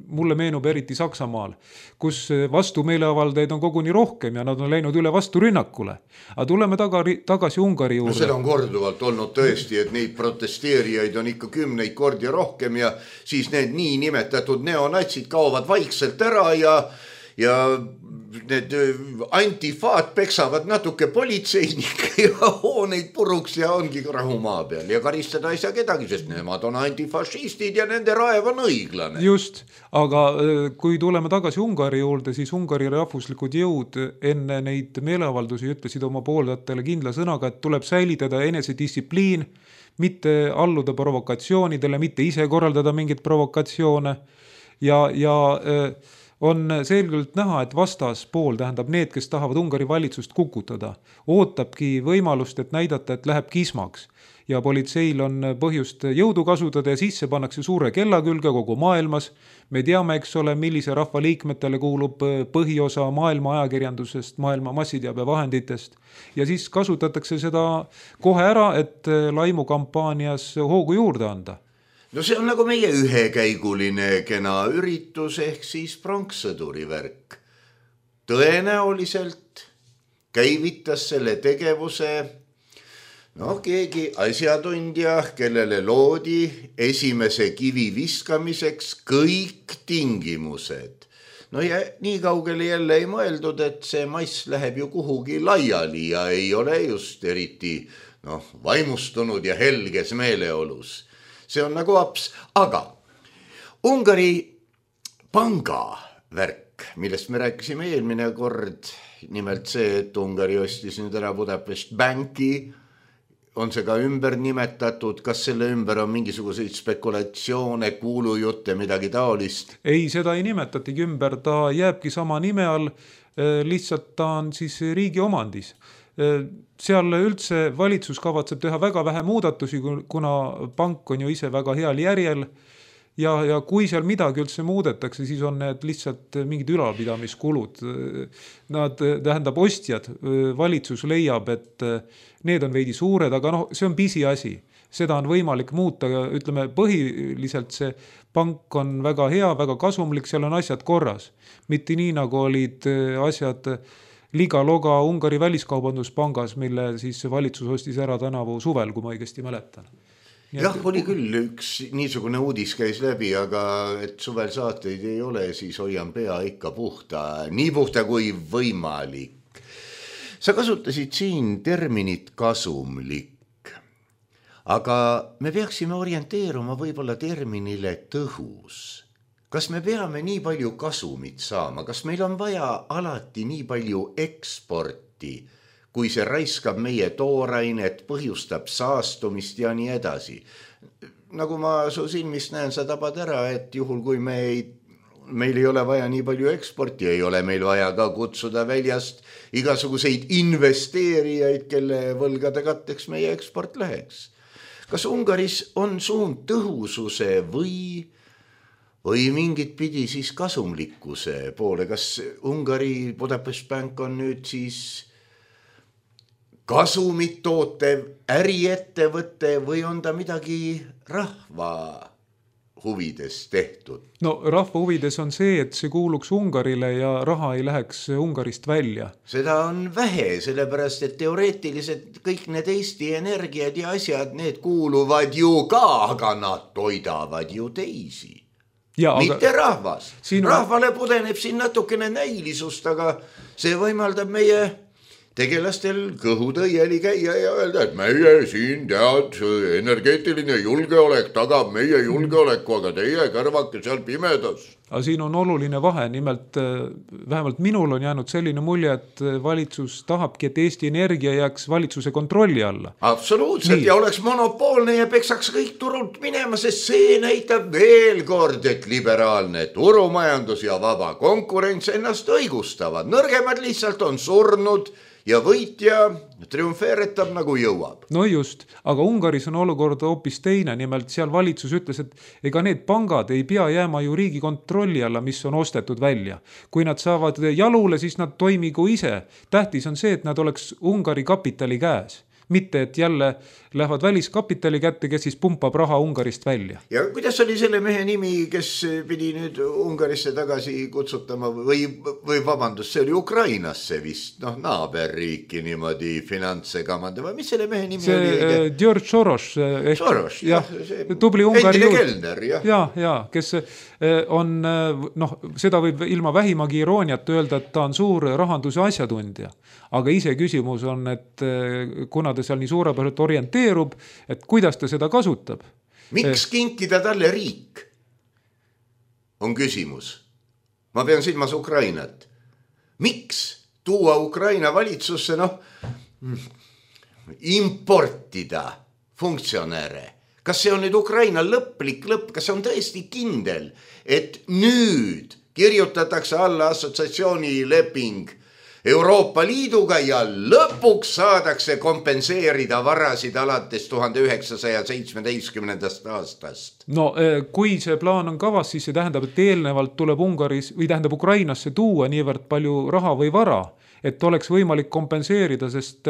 Speaker 4: mulle meenub eriti Saksamaal, kus vastu meeleavaldajaid on koguni rohkem ja nad on läinud üle vastu rünnakule. Aga tuleme tagari, tagasi Ungari juurde.
Speaker 3: No seda on korduvalt olnud tõesti, et neid protesteerijaid on ikka kümneid kordi rohkem ja siis need nii nimetatud neonatsid kaovad vaikselt ära ja ja need antifaat peksavad natuke politseinikke ja hooneid puruks ja ongi rahumaa peal ja karistada ei saa kedagi, sest nemad on antifašistid ja nende raev on õiglane.
Speaker 4: Just, aga kui tuleme tagasi Ungari juurde, siis Ungari rahvuslikud jõud enne neid meeleavaldusi ütlesid oma pooldajatele kindla sõnaga, et tuleb säilitada enesedistsipliin, mitte alluda provokatsioonidele, mitte ise korraldada mingit provokatsioone ja, ja on selgelt näha, et vastaspool, tähendab need, kes tahavad Ungari valitsust kukutada, ootabki võimalust, et näidata, et läheb kismaks. Ja politseil on põhjust jõudu kasutada ja sisse pannakse suure kella külge kogu maailmas. Me teame, eks ole, millise rahva liikmetele kuulub põhiosa maailma ajakirjandusest, maailma massiteabevahenditest. Ja siis kasutatakse seda kohe ära, et laimukampaanias hoogu juurde anda.
Speaker 3: No see on nagu meie ühekäiguline kena üritus ehk siis pronkssõduri värk. Tõenäoliselt käivitas selle tegevuse no keegi asjatundja, kellele loodi esimese kivi viskamiseks kõik tingimused. No ja nii kaugele jälle ei mõeldud, et see mass läheb ju kuhugi laiali ja ei ole just eriti noh, vaimustunud ja helges meeleolus. See on nagu aps, aga Ungari panga värk, millest me rääkisime eelmine kord, nimelt see, et Ungari ostis nüüd ära Budapest Banki, on see ka ümber nimetatud, kas selle ümber on mingisuguseid spekulatsioone, kuulujutte, midagi taolist?
Speaker 4: Ei, seda ei nimetatigi ümber, ta jääbki sama nime all, lihtsalt ta on siis riigi omandis. Seal üldse valitsus kavatseb teha väga vähe muudatusi, kuna pank on ju ise väga heal järjel ja, ja kui seal midagi üldse muudetakse, siis on need lihtsalt mingid ülalpidamiskulud. Nad, tähendab ostjad, valitsus leiab, et need on veidi suured, aga noh, see on pisiasi. Seda on võimalik muuta, ütleme põhiliselt see pank on väga hea, väga kasumlik, seal on asjad korras. Mitte nii, nagu olid asjad Liga-Loga Ungari väliskaubanduspangas, mille siis valitsus ostis ära tänavu suvel, kui ma õigesti mäletan.
Speaker 3: Jah, oli küll üks niisugune uudis käis läbi, aga et suvel saateid ei ole, siis hoian pea ikka puhta, nii puhta kui võimalik. Sa kasutasid siin terminit kasumlik, aga me peaksime orienteeruma võib-olla terminile tõhus. Kas me peame nii palju kasumit saama? Kas meil on vaja alati nii palju eksporti, kui see raiskab meie toorainet, põhjustab saastumist ja nii edasi. Nagu ma su silmist näen, sa tabad ära, et juhul kui me ei, meil ei ole vaja nii palju eksporti, ei ole meil vaja ka kutsuda väljast igasuguseid investeerijaid, kelle võlgade katteks meie eksport läheks. Kas Ungaris on suund tõhususe või, või mingit pidi siis kasumlikkuse poole? Kas Ungari Budapest Bank on nüüd siis kasumit tootev äriettevõte või on ta midagi rahva huvides tehtud?
Speaker 4: No rahva huvides on see, et see kuuluks Ungarile ja raha ei läheks Ungarist välja.
Speaker 3: Seda on vähe, sellepärast, et teoreetiliselt kõik need Eesti energiad ja asjad, need kuuluvad ju ka, aga nad toidavad ju teisi. Ja, mitte aga rahvas. Siin rahvale pudeneb siin natukene näilisust, aga see võimaldab meie tegelastel kõhutõieli käia ja öelda, et meie siin tead, energeetiline julgeolek tagab meie julgeoleku, aga teie kõrvake seal pimedas.
Speaker 4: Aga siin on oluline vahe, nimelt vähemalt minul on jäänud selline mulje, et valitsus tahabki, et Eesti Energia jääks valitsuse kontrolli alla.
Speaker 3: Absoluutselt. Nii. Ja oleks monopoolne ja peksaks kõik turult minema, sest see näitab veel kord, et liberaalne turumajandus ja vaba konkurents ennast õigustavad. Nõrgemad lihtsalt on surnud ja võitja triumfeeretab nagu jõuab.
Speaker 4: No just, aga Ungaris on olukord hoopis teine, nimelt seal valitsus ütles, et ega need pangad ei pea jääma ju riigi kontrolli alla, mis on ostetud välja. Kui nad saavad jalule, siis nad toimigu ise. Tähtis on see, et nad oleks Ungari kapitali käes. Mitte, et jälle lähevad väliskapitali kätte, kes siis pumpab raha Ungarist välja.
Speaker 3: Ja kuidas oli selle mehe nimi, kes pidi nüüd Ungarisse tagasi kutsutama või, või vabandust, see oli Ukrainasse vist, noh, naaberriiki niimoodi finantse kamanda või mis selle mehe nimi
Speaker 4: see,
Speaker 3: oli?
Speaker 4: See George Soros. Ehk,
Speaker 3: Soros, jah.
Speaker 4: Tubli Ungari
Speaker 3: endine kelner, jah.
Speaker 4: Ja, ja, kes on, noh, seda võib ilma vähimagi irooniat öelda, et ta on suur rahanduse asjatundja. Aga ise küsimus on, et kuna ta seal nii suurepäraselt orienteerub, et kuidas ta seda kasutab.
Speaker 3: Miks kinkida talle riik? On küsimus. Ma pean silmas Ukrainat. Miks tuua Ukraina valitsusse, noh, importida funktsionäre? Kas see on nüüd Ukraina lõplik lõpp? Kas see on tõesti kindel, et nüüd kirjutatakse alla assotsiatsiooni leping Euroopa Liiduga ja lõpuks saadakse kompenseerida varasid alates tuhande üheksasaja seitsmeteistkümnendast aastast.
Speaker 4: No kui see plaan on kavas, siis see tähendab, et eelnevalt tuleb Ungaris või tähendab Ukrainasse tuua niivõrd palju raha või vara, et oleks võimalik kompenseerida, sest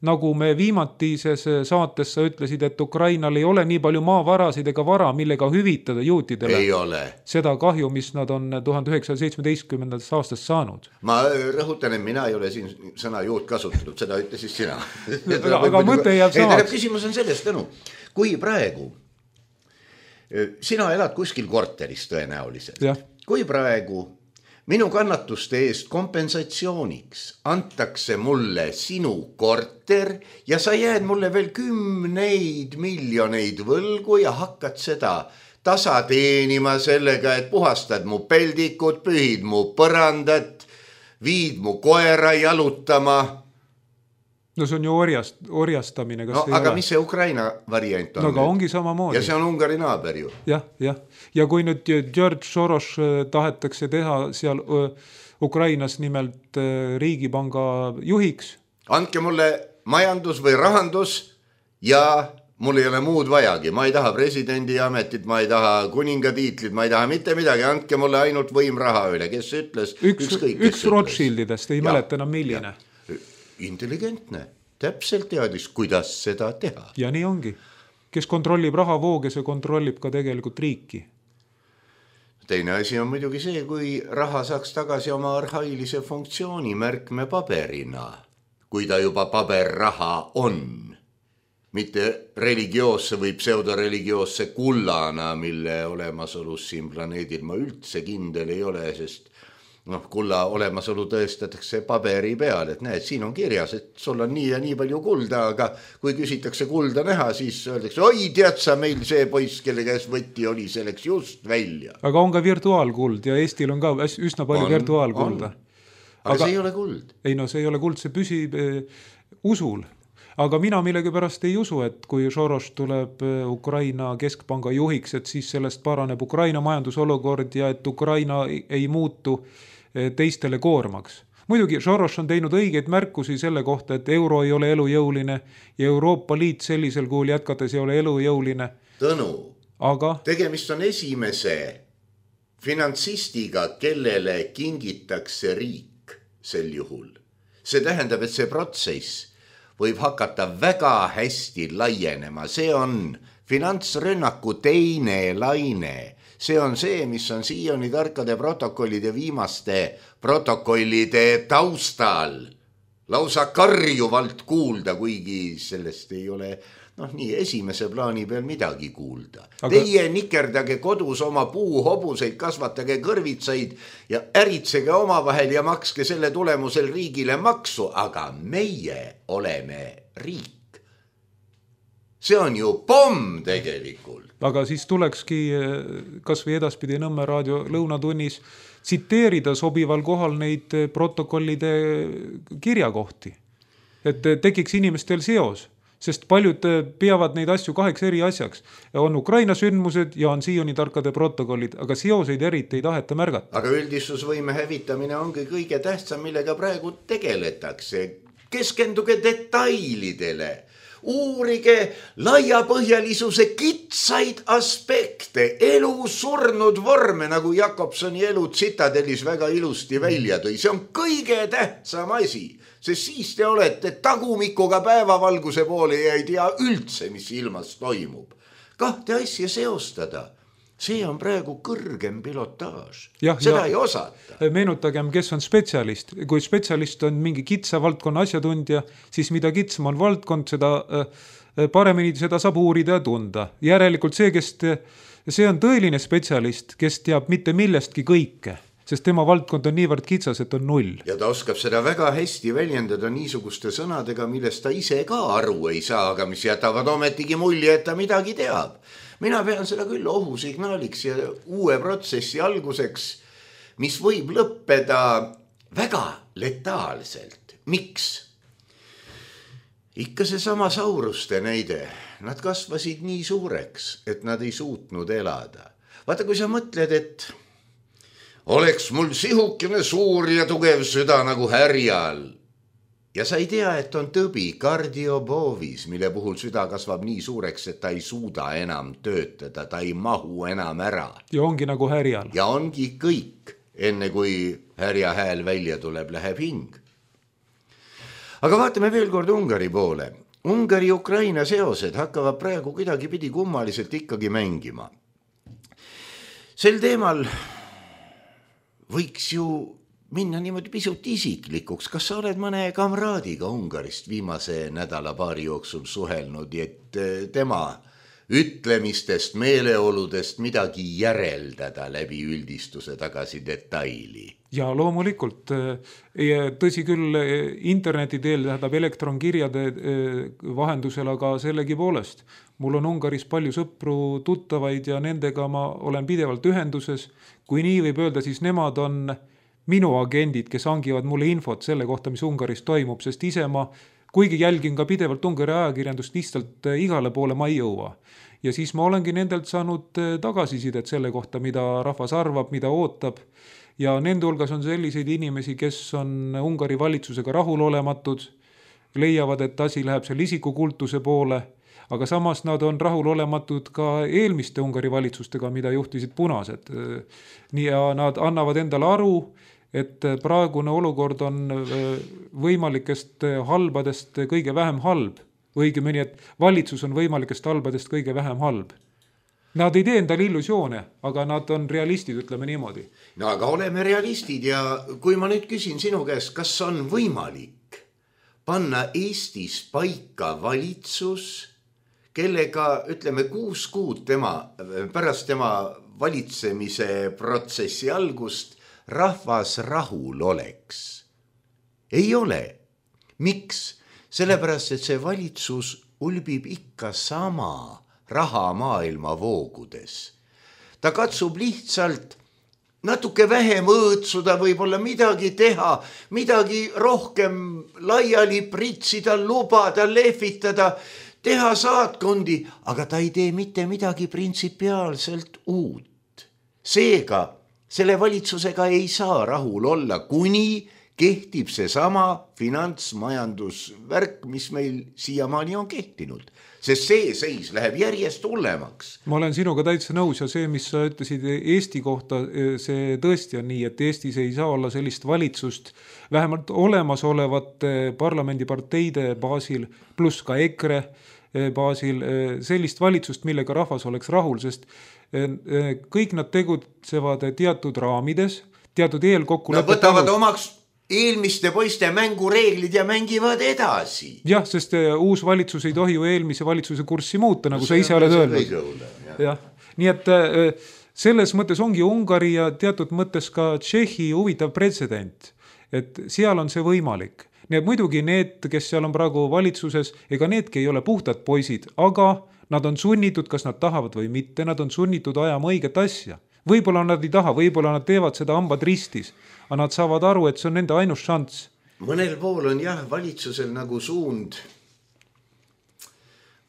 Speaker 4: nagu me viimatises saates sa ütlesid, et Ukrainal ei ole nii palju maavarasid ega vara, millega hüvitada juutidele
Speaker 3: ei ole
Speaker 4: seda kahju, mis nad on tuhande üheksasaja seitsmeteistkümnendast aastast saanud.
Speaker 3: Ma rõhutan, et mina ei ole siin sõna juut kasutatud, seda ütlesid sina.
Speaker 4: aga aga mõte jääb samaks.
Speaker 3: Küsimus on sellest, Tõnu, kui praegu sina elad kuskil korteris tõenäoliselt, ja. Kui praegu minu kannatuste eest kompensatsiooniks antakse mulle sinu korter ja sa jääd mulle veel kümneid miljoneid võlgu ja hakkad seda tasa teenima sellega, et puhastad mu peldikud, pühid mu põrandat, viid mu koera jalutama.
Speaker 4: No see on ju orjast, orjastamine. Kas
Speaker 3: no, aga ole? Mis see Ukraina variant on?
Speaker 4: No aga ongi samamoodi.
Speaker 3: Ja see on Ungari naaber ju.
Speaker 4: Jah, jah. Ja kui nüüd George Soros tahetakse teha seal Ukrainas nimelt riigipanga juhiks.
Speaker 3: Andke mulle majandus või rahandus ja mul ei ole muud vajagi. Ma ei taha presidendi ametit, ma ei taha kuninga tiitlit, ma ei taha mitte midagi. Andke mulle ainult võim raha üle. Kes ütles?
Speaker 4: Üks, kõik, üks Rothschildidest, ei ja, mäleta enam milline. Ja.
Speaker 3: Intelligentne, täpselt teadis, kuidas seda teha.
Speaker 4: Ja nii ongi. Kes kontrollib rahavooge, see kontrollib ka tegelikult riiki.
Speaker 3: Teine asi on muidugi see, kui raha saaks tagasi oma arhailise funktsiooni märkme paberina, kui ta juba paberraha on. Mitte religioosse või pseudoreligioosse kullana, mille olemasolus siin planeedil ma üldse kindel ei ole, sest noh, kulla olemasolu tõestatakse paberi peal, et näed, siin on kirjas, et sul on nii ja nii palju kulda, aga kui küsitakse kulda näha, siis öeldakse, oi, tead sa, meil see poiss, kelle käes võtti oli, selleks just välja.
Speaker 4: Aga on ka virtuaalkuld ja Eestil on ka üsna palju on, virtuaalkulda.
Speaker 3: On. Aga, aga see ei ole kuld.
Speaker 4: Ei no, see ei ole kuld, see püsib usul. Aga mina millegipärast ei usu, et kui Soros tuleb Ukraina keskpanga juhiks, et siis sellest paraneb Ukraina majandusolukord ja et Ukraina ei muutu teistele koormaks. Muidugi Soros on teinud õigeid märkusi selle kohta, et euro ei ole elujõuline ja Euroopa Liit sellisel kuul jätkates ei ole elujõuline.
Speaker 3: Tõnu,
Speaker 4: aga
Speaker 3: tegemist on esimese finantsistiga, kellele kingitakse riik sel juhul. See tähendab, et see protsess võib hakata väga hästi laienema. See on finantsrünnaku teine laine. See on see, mis on siiani tarkade protokollide viimaste protokollide taustal lausa karjuvalt kuulda, kuigi sellest ei ole noh, nii esimese plaani peal midagi kuulda. Aga teie nikerdage kodus oma puuhobuseid, kasvatage kõrvitsaid ja äritsege oma vahel ja makske selle tulemusel riigile maksu, aga meie oleme riik. See on ju pomm tegelikult.
Speaker 4: Aga siis tulekski kas või edaspidi Nõmme raadio lõunatunnis tsiteerida sobival kohal neid protokollide kirjakohti. Et tekiks inimestel seos. Sest paljud peavad neid asju kaheks eri asjaks. On Ukraina sündmused ja on siiani tarkade protokollid, aga seoseid eriti ei taheta märgata.
Speaker 3: Aga üldistusvõime hävitamine ongi kõige tähtsam, millega praegu tegeletakse. Keskenduge detailidele. Uurige laiapõhjalisuse kitsaid aspekte, elu surnud vorme, nagu Jakobsoni elu tsitadelis väga ilusti välja tõi. See on kõige tähtsam asi. Sest siis te olete tagumikuga päevavalguse poole ja ei tea üldse, mis ilmas toimub. Kahte asja seostada. See on praegu kõrgem pilotaaž.
Speaker 4: Ja,
Speaker 3: Seda
Speaker 4: ja,
Speaker 3: ei osata.
Speaker 4: Meenutagem, kes on spetsialist. Kui spetsialist on mingi kitsa valdkonna asjatundja, siis mida kitsam on valdkond, seda paremini seda saab uurida ja tunda. Järelikult see, kes te, see on tõeline spetsialist, kes teab mitte millestki kõike. Sest tema valdkond on niivõrd kitsas, et on null.
Speaker 3: Ja ta oskab seda väga hästi väljendada niisuguste sõnadega, millest ta ise ka aru ei saa, aga mis jätavad ometigi mulje, et ta midagi teab. Mina pean seda küll ohusignaaliks ja uue protsessi alguseks, mis võib lõppeda väga letaalselt. Miks? Ikka see sama sauruste näide. Nad kasvasid nii suureks, et nad ei suutnud elada. Vaata, kui sa mõtled, et oleks mul sihukene suur ja tugev süda nagu härjal. Ja sa ei tea, et on tõbi kardioboovis, mille puhul süda kasvab nii suureks, et ta ei suuda enam töötada, ta ei mahu enam ära.
Speaker 4: Ja ongi nagu härjal.
Speaker 3: Ja ongi kõik, enne kui härja hääl välja tuleb, läheb hing. Aga vaatame veel kord Ungari poole. Ungari-Ukraina seosed hakkavad praegu kuidagi pidi kummaliselt ikkagi mängima. Sel teemal võiks ju minna niimoodi pisut isiklikuks. Kas sa oled mõne kamraadiga Ungarist viimase nädala paari jooksul suhelnud, et tema ütlemistest, meeleoludest midagi järeldada läbi üldistuse tagasi detaili?
Speaker 4: Ja loomulikult, tõsi küll interneti teel, tähendab elektronkirjade vahendusel, aga sellegi poolest. Mul on Ungaris palju sõpru, tuttavaid ja nendega ma olen pidevalt ühenduses. Kui nii võib öelda, siis nemad on minu agendid, kes hangivad mulle infot selle kohta, mis Ungaris toimub, sest ise ma, kuigi jälgin ka pidevalt Ungari ajakirjandust, lihtsalt igale poole ma ei jõua. Ja siis ma olengi nendelt saanud tagasisidet selle kohta, mida rahvas arvab, mida ootab. Ja nende hulgas on selliseid inimesi, kes on Ungari valitsusega rahulolematud, leiavad, et asi läheb seal isikukultuse poole, aga samas nad on rahulolematud ka eelmiste Ungari valitsustega, mida juhtisid punased. Nii ja nad annavad endale aru, et praegune olukord on võimalikest halbadest kõige vähem halb. Õigemini, et valitsus on võimalikest halbadest kõige vähem halb. Nad ei tee endale illusioone, aga nad on realistid, ütleme niimoodi.
Speaker 3: No aga oleme realistid ja kui ma nüüd küsin sinu käest, kas on võimalik panna Eestis paika valitsus, kellega, ütleme, kuus kuud tema, pärast tema valitsemise protsessi algust rahvas rahul oleks? Ei ole. Miks? Sellepärast, et see valitsus ulbib ikka sama raha maailma voogudes. Ta katsub lihtsalt natuke vähem õõtsuda, võib-olla midagi teha, midagi rohkem laiali pritsida, lubada, lehvitada, teha saatkondi, aga ta ei tee mitte midagi printsipiaalselt uut. Seega selle valitsusega ei saa rahul olla, kuni kehtib see sama finantsmajandusvärk, mis meil siiamaani on kehtinud. Sest see seis läheb järjest hullemaks.
Speaker 4: Ma olen sinuga täitsa nõus ja see, mis sa ütlesid Eesti kohta, see tõesti on nii, et Eestis ei saa olla sellist valitsust vähemalt olemasolevate parlamendiparteide baasil, pluss ka EKRE baasil, sellist valitsust, millega rahvas oleks rahul, sest kõik nad tegutsevad teatud raamides, teatud eelkokkulepet.
Speaker 3: Nad võtavad omaks eelmiste poiste mängureeglid ja mängivad edasi.
Speaker 4: Jah, sest uus valitsus ei tohi ju eelmise valitsuse kurssi muuta, nagu no, sa ise oled öelnud. Jah. Nii et selles mõttes ongi Ungari ja teatud mõttes ka Tšehhi huvitav pretsedent, et seal on see võimalik. Nii et muidugi need, kes seal on praegu valitsuses, ega needki ei ole puhtad poisid, aga nad on sunnitud, kas nad tahavad või mitte, nad on sunnitud ajama õiget asja. Võib-olla nad ei taha, võib-olla nad teevad seda hambad ristis, aga nad saavad aru, et see on nende ainus šants.
Speaker 3: Mõnel pool on jah valitsusel nagu suund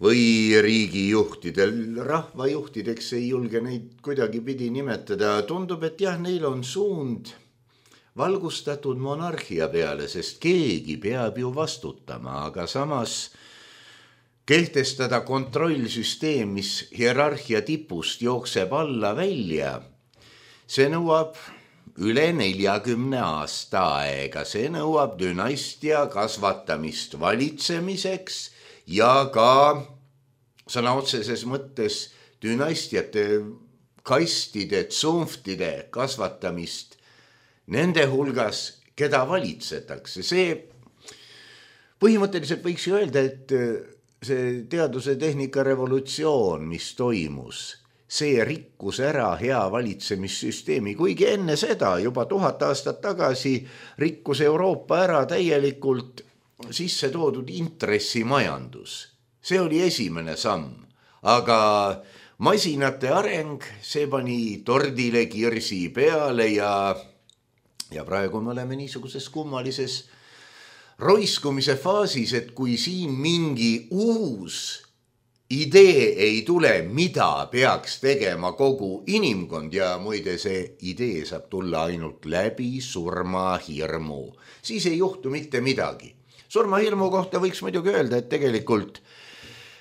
Speaker 3: või riigijuhtidel, rahvajuhtideks ei julge neid kuidagi pidi nimetada. Tundub, et jah, neil on suund valgustatud monarhia peale, sest keegi peab ju vastutama, aga samas kehtestada kontrollsüsteem, mis hierarhia tipust jookseb alla välja, see nõuab üle neljakümne aasta aega, see nõuab dünastia kasvatamist valitsemiseks ja ka sõna otseses mõttes dünastiate kastide, tsunftide kasvatamist nende hulgas, keda valitsetakse. See põhimõtteliselt võiks ju öelda, et see teaduse tehnika revolutsioon, mis toimus, see rikkus ära hea valitsemissüsteemi, kuigi enne seda juba tuhat aastat tagasi rikkus Euroopa ära täielikult sisse toodud intressimajandus. See oli esimene samm, aga masinate areng, see pani tordile kirsi peale ja, ja praegu me oleme niisuguses kummalises roiskumise faasis, et kui siin mingi uus idee ei tule, mida peaks tegema kogu inimkond ja muide see idee saab tulla ainult läbi surmahirmu, siis ei juhtu mitte midagi. Surmahirmu kohta võiks muidugi öelda, et tegelikult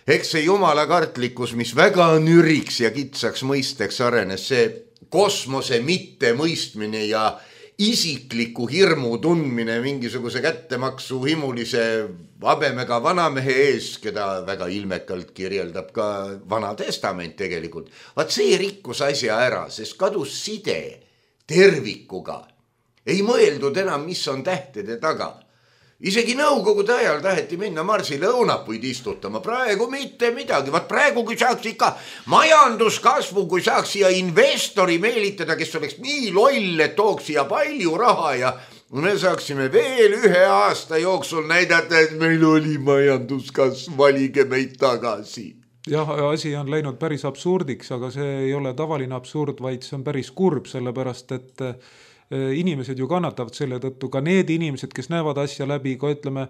Speaker 3: eks see jumalakartlikkus, mis väga nüriks ja kitsaks mõisteks arenes, see kosmose mitte mõistmine ja isikliku hirmu tundmine mingisuguse kättemaksu himulise habemega vanamehe ees, keda väga ilmekalt kirjeldab ka Vana Testament tegelikult. Vaat see rikkus asja ära, sest kadus side tervikuga. Ei mõeldud enam, mis on tähtede taga. Isegi nõukogude ajal taheti minna Marsile õunapuid istutama, praegu mitte midagi. Vaat praegu, kui saaks ikka majanduskasvu, kui saaks siia investori meelitada, kes oleks nii loll, et tooks siia palju raha ja me saaksime veel ühe aasta jooksul näidata, et meil oli majanduskasv, valige meid tagasi.
Speaker 4: Jah, asi on läinud päris absurdiks, aga see ei ole tavaline absurd, vaid see on päris kurb, sellepärast et inimesed ju kannatavad selle tõttu, ka need inimesed, kes näevad asja läbi, ka ütleme,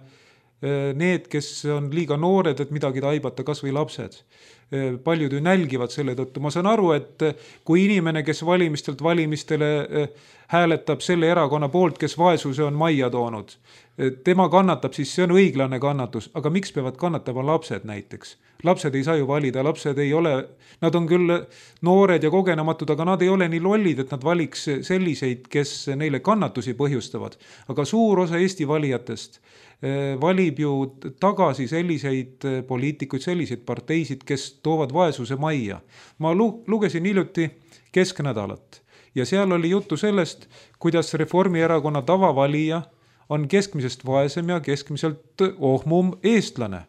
Speaker 4: need, kes on liiga noored, et midagi taibata, kas või lapsed. Paljud ju nälgivad selle tõttu. Ma saan aru, et kui inimene, kes valimistelt valimistele hääletab selle erakonna poolt, kes vaesuse on majja toonud, tema kannatab, siis see on õiglane kannatus. Aga miks peavad kannatama lapsed näiteks? Lapsed ei saa ju valida, lapsed ei ole, nad on küll noored ja kogenematud, aga nad ei ole nii lollid, et nad valiks selliseid, kes neile kannatusi põhjustavad. Aga suur osa Eesti valijatest valib ju tagasi selliseid poliitikuid, selliseid parteisid, kes toovad vaesuse majja. Ma lugesin hiljuti Kesknädalat ja seal oli juttu sellest, kuidas Reformierakonna tavavalija on keskmisest vaesem ja keskmiselt ohmum eestlane.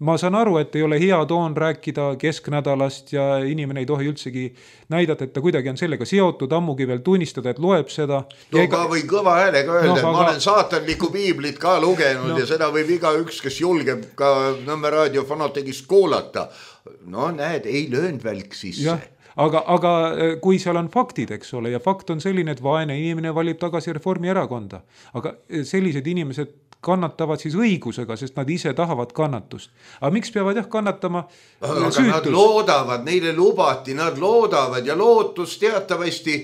Speaker 4: Ma saan aru, et ei ole hea toon rääkida Kesknädalast ja inimene ei tohi üldsegi näidata, et ta kuidagi on sellega seotud, ammugi veel tunnistada, et loeb seda.
Speaker 3: No ega... ka või kõva häälega öelda, no, aga... ma olen saatanlikku piiblit ka lugenud no. Ja seda võib iga üks, kes julgeb ka Nõmme raadio fanategist kuulata. No näed, ei löönud välk sisse.
Speaker 4: Ja. aga, aga kui seal on faktid, eks ole, ja fakt on selline, et vaene inimene valib tagasi Reformierakonda, aga sellised inimesed kannatavad siis õigusega, sest nad ise tahavad kannatust. Aga miks peavad jah kannatama
Speaker 3: aga
Speaker 4: süütus?
Speaker 3: Nad loodavad, neile lubati, nad loodavad ja lootus teatavasti,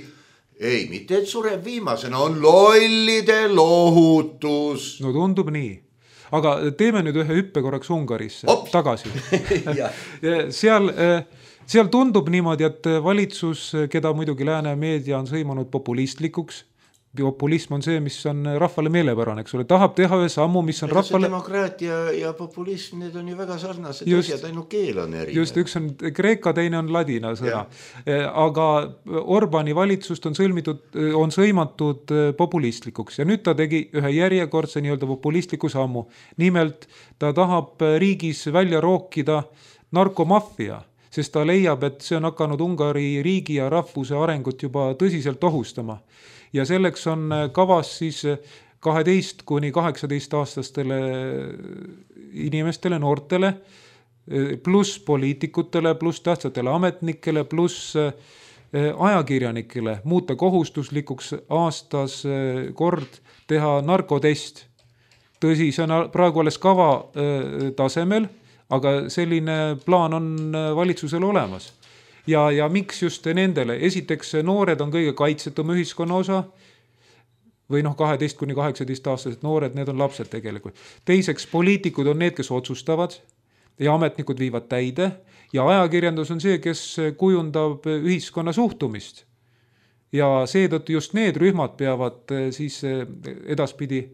Speaker 3: ei, mitte et sureb viimasena, on lollide lohutus.
Speaker 4: No tundub nii. Aga teeme nüüd ühe hüppe korraks Ungarisse Ops. tagasi. seal, seal tundub niimoodi, et valitsus, keda muidugi lääne meedia on sõimanud populistlikuks, populism on see, mis on rahvale meelepärane, eks ole, tahab teha ühe sammu, mis on rahvale...
Speaker 3: Demokraatia ja populism, need on ju väga sarnased just, asjad, ainult keel on erinev.
Speaker 4: Just, üks on kreeka, teine on ladina sõna. Aga Orbani valitsust on, sõlmitud, on sõimatud populistlikuks ja nüüd ta tegi ühe järjekordse nii-öelda populistliku sammu. Nimelt ta tahab riigis välja rookida narkomafia, sest ta leiab, et see on hakanud Ungari riigi ja rahvuse arengut juba tõsiselt ohustama. Ja selleks on kavas siis kaheteist kuni kaheksateist aastastele inimestele, noortele, pluss poliitikutele, pluss tähtsatele ametnikele, pluss ajakirjanikele muuta kohustuslikuks aastas kord teha narkotest. Tõsi, see on praegu alles kava tasemel, aga selline plaan on valitsusel olemas. Ja, ja miks just nendele? Esiteks noored on kõige kaitsetum ühiskonna osa või noh, kaheteist kuni kaheksateist aastased noored, need on lapsed tegelikult. Teiseks, poliitikud on need, kes otsustavad ja ametnikud viivad täide ja ajakirjandus on see, kes kujundab ühiskonna suhtumist. Ja seetõttu just need rühmad peavad siis edaspidi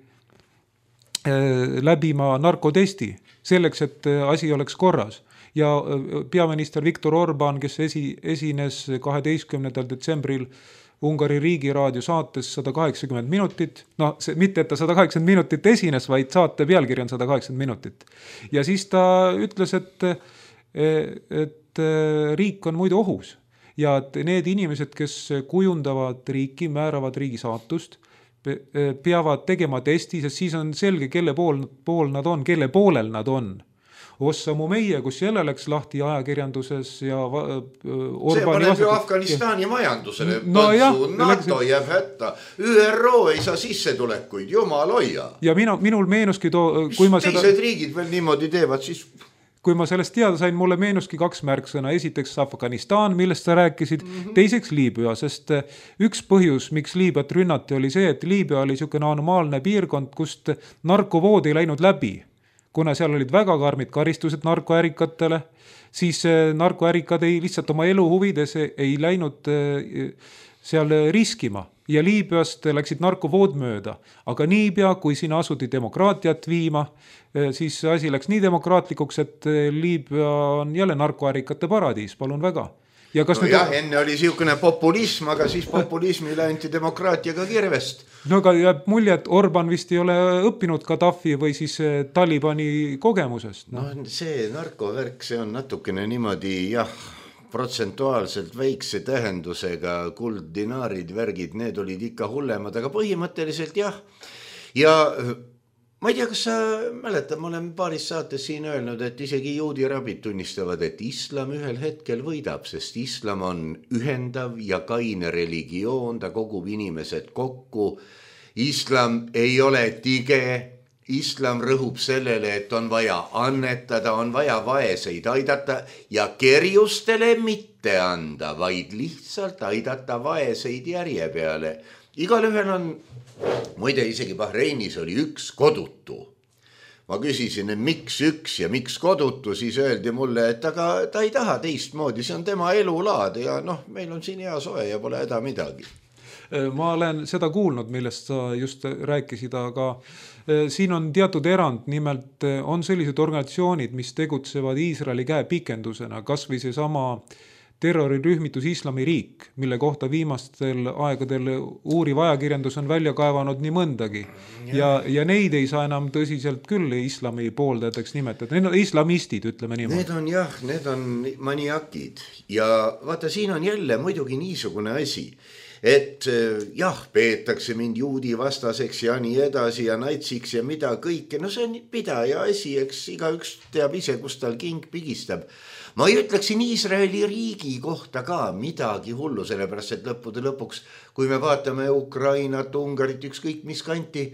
Speaker 4: läbima narkotesti selleks, et asi oleks korras. Ja peaminister Viktor Orban, kes esi, esines kaheteistkümnendal detsembril Ungari riigiraadio saates sada kaheksakümmend minutit, no see, mitte et ta sada kaheksakümmend minutit esines, vaid saate pealkiri on sada kaheksakümmend minutit. Ja siis ta ütles, et, et riik on muidu ohus ja et need inimesed, kes kujundavad riiki, määravad riigi saatust, peavad tegema testi, sest siis on selge, kelle pool, pool nad on, kelle poolel nad on. Ossamu meie, kus jälle läks lahti ajakirjanduses ja Orbani
Speaker 3: see paneb ju Afganistani majandusele
Speaker 4: no jah,
Speaker 3: NATO jääb hätta, Ü R O ei saa sissetulekuid, jumal hoia.
Speaker 4: Ja minu, minul meenuski too, kui ma
Speaker 3: seda teised riigid veel niimoodi teevad, siis
Speaker 4: kui ma sellest teada sain, mulle meenuski kaks märksõna. Esiteks Afganistan, millest sa rääkisid, mm-hmm. teiseks Liibüa, sest üks põhjus, miks Liibüat rünnati, oli see, et Liibüa oli niisugune anomaalne piirkond, kust narkovood ei läinud läbi. Kuna seal olid väga karmid karistused narkoärikatele, siis narkoärikad ei lihtsalt oma elu huvides ei läinud seal riskima. Ja Liibüast läksid narkovood mööda. Aga niipea, kui sinna asuti demokraatiat viima, siis asi läks nii demokraatlikuks, et Liibüa on jälle narkoärikate paradiis, palun väga. Ja kas
Speaker 3: no jah, enne oli siukene populism, aga siis populismile anti demokraatiaga kirvest.
Speaker 4: No aga jääb mulje, et Orban vist ei ole õppinud Gaddafi või siis Talibani kogemusest.
Speaker 3: No, no see narkovärk, see on natukene niimoodi, jah, protsentuaalselt väikse tähendusega, kuld, dinaarid, värgid, need olid ikka hullemad, aga põhimõtteliselt jah. Ja ma ei tea, kas sa mäletad, ma olen paaris saates siin öelnud, et isegi juudi rabid tunnistavad, et islam ühel hetkel võidab, sest islam on ühendav ja kaine religioon, ta kogub inimesed kokku. Islam ei ole tige, islam rõhub sellele, et on vaja annetada, on vaja vaeseid aidata ja kerjustele mitte anda, vaid lihtsalt aidata vaeseid järje peale. Igal ühel on, muide isegi Bahreinis oli üks kodutu. Ma küsisin, et miks üks ja miks kodutu, siis öeldi mulle, et aga ta ei taha teistmoodi, see on tema elulaad ja noh, meil on siin hea soe ja pole häda midagi.
Speaker 4: Ma olen seda kuulnud, millest sa just rääkisid, aga siin on teatud erand, nimelt on sellised organisatsioonid, mis tegutsevad Iisraeli käe pikendusena, kas või see sama terrorirühmitus Islamiriik, mille kohta viimastel aegadel uuriv ajakirjandus on välja kaevanud nii mõndagi. Ja, ja neid ei saa enam tõsiselt küll islami pooldajateks nimetada. Need on islamistid, ütleme niimoodi.
Speaker 3: Need on jah, need on maniakid. Ja vaata, siin on jälle muidugi niisugune asi, et jah, peetakse mind juudi vastaseks ja nii edasi ja natsiks ja mida kõike. No see on pidaja asi, eks iga üks teab ise, kus tal king pigistab. ma ei ütleksin Iisraeli riigi kohta ka midagi hullu, sellepärast et lõppude lõpuks, kui me vaatame Ukrainat, Ungarit, ükskõik mis kanti,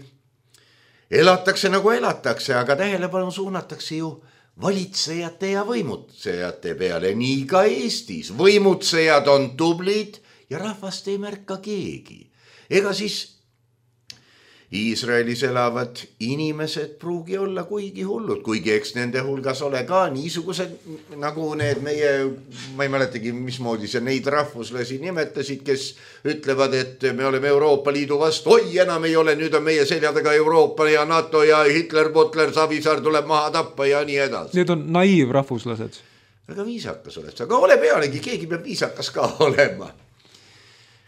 Speaker 3: elatakse nagu elatakse, aga tähelepanu suunatakse ju valitsejate ja võimutsejate peale, nii ka Eestis. Võimutsejad on tublid ja rahvast ei märka keegi. Ega siis Iisraelis elavad inimesed pruugi olla kuigi hullud, kuigi eks nende hulgas ole ka niisugused nagu need meie, ma ei mäletagi, mismoodi see neid rahvuslasi nimetasid, kes ütlevad, et me oleme Euroopa Liidu vastu, oi enam ei ole, nüüd on meie seljadega Euroopa ja NATO ja Hitler, Butler, Savisaar tuleb maha tappa ja nii edasi.
Speaker 4: Need on naiivrahvuslased.
Speaker 3: Väga viisakas oled, aga ole pealegi, keegi peab viisakas ka olema.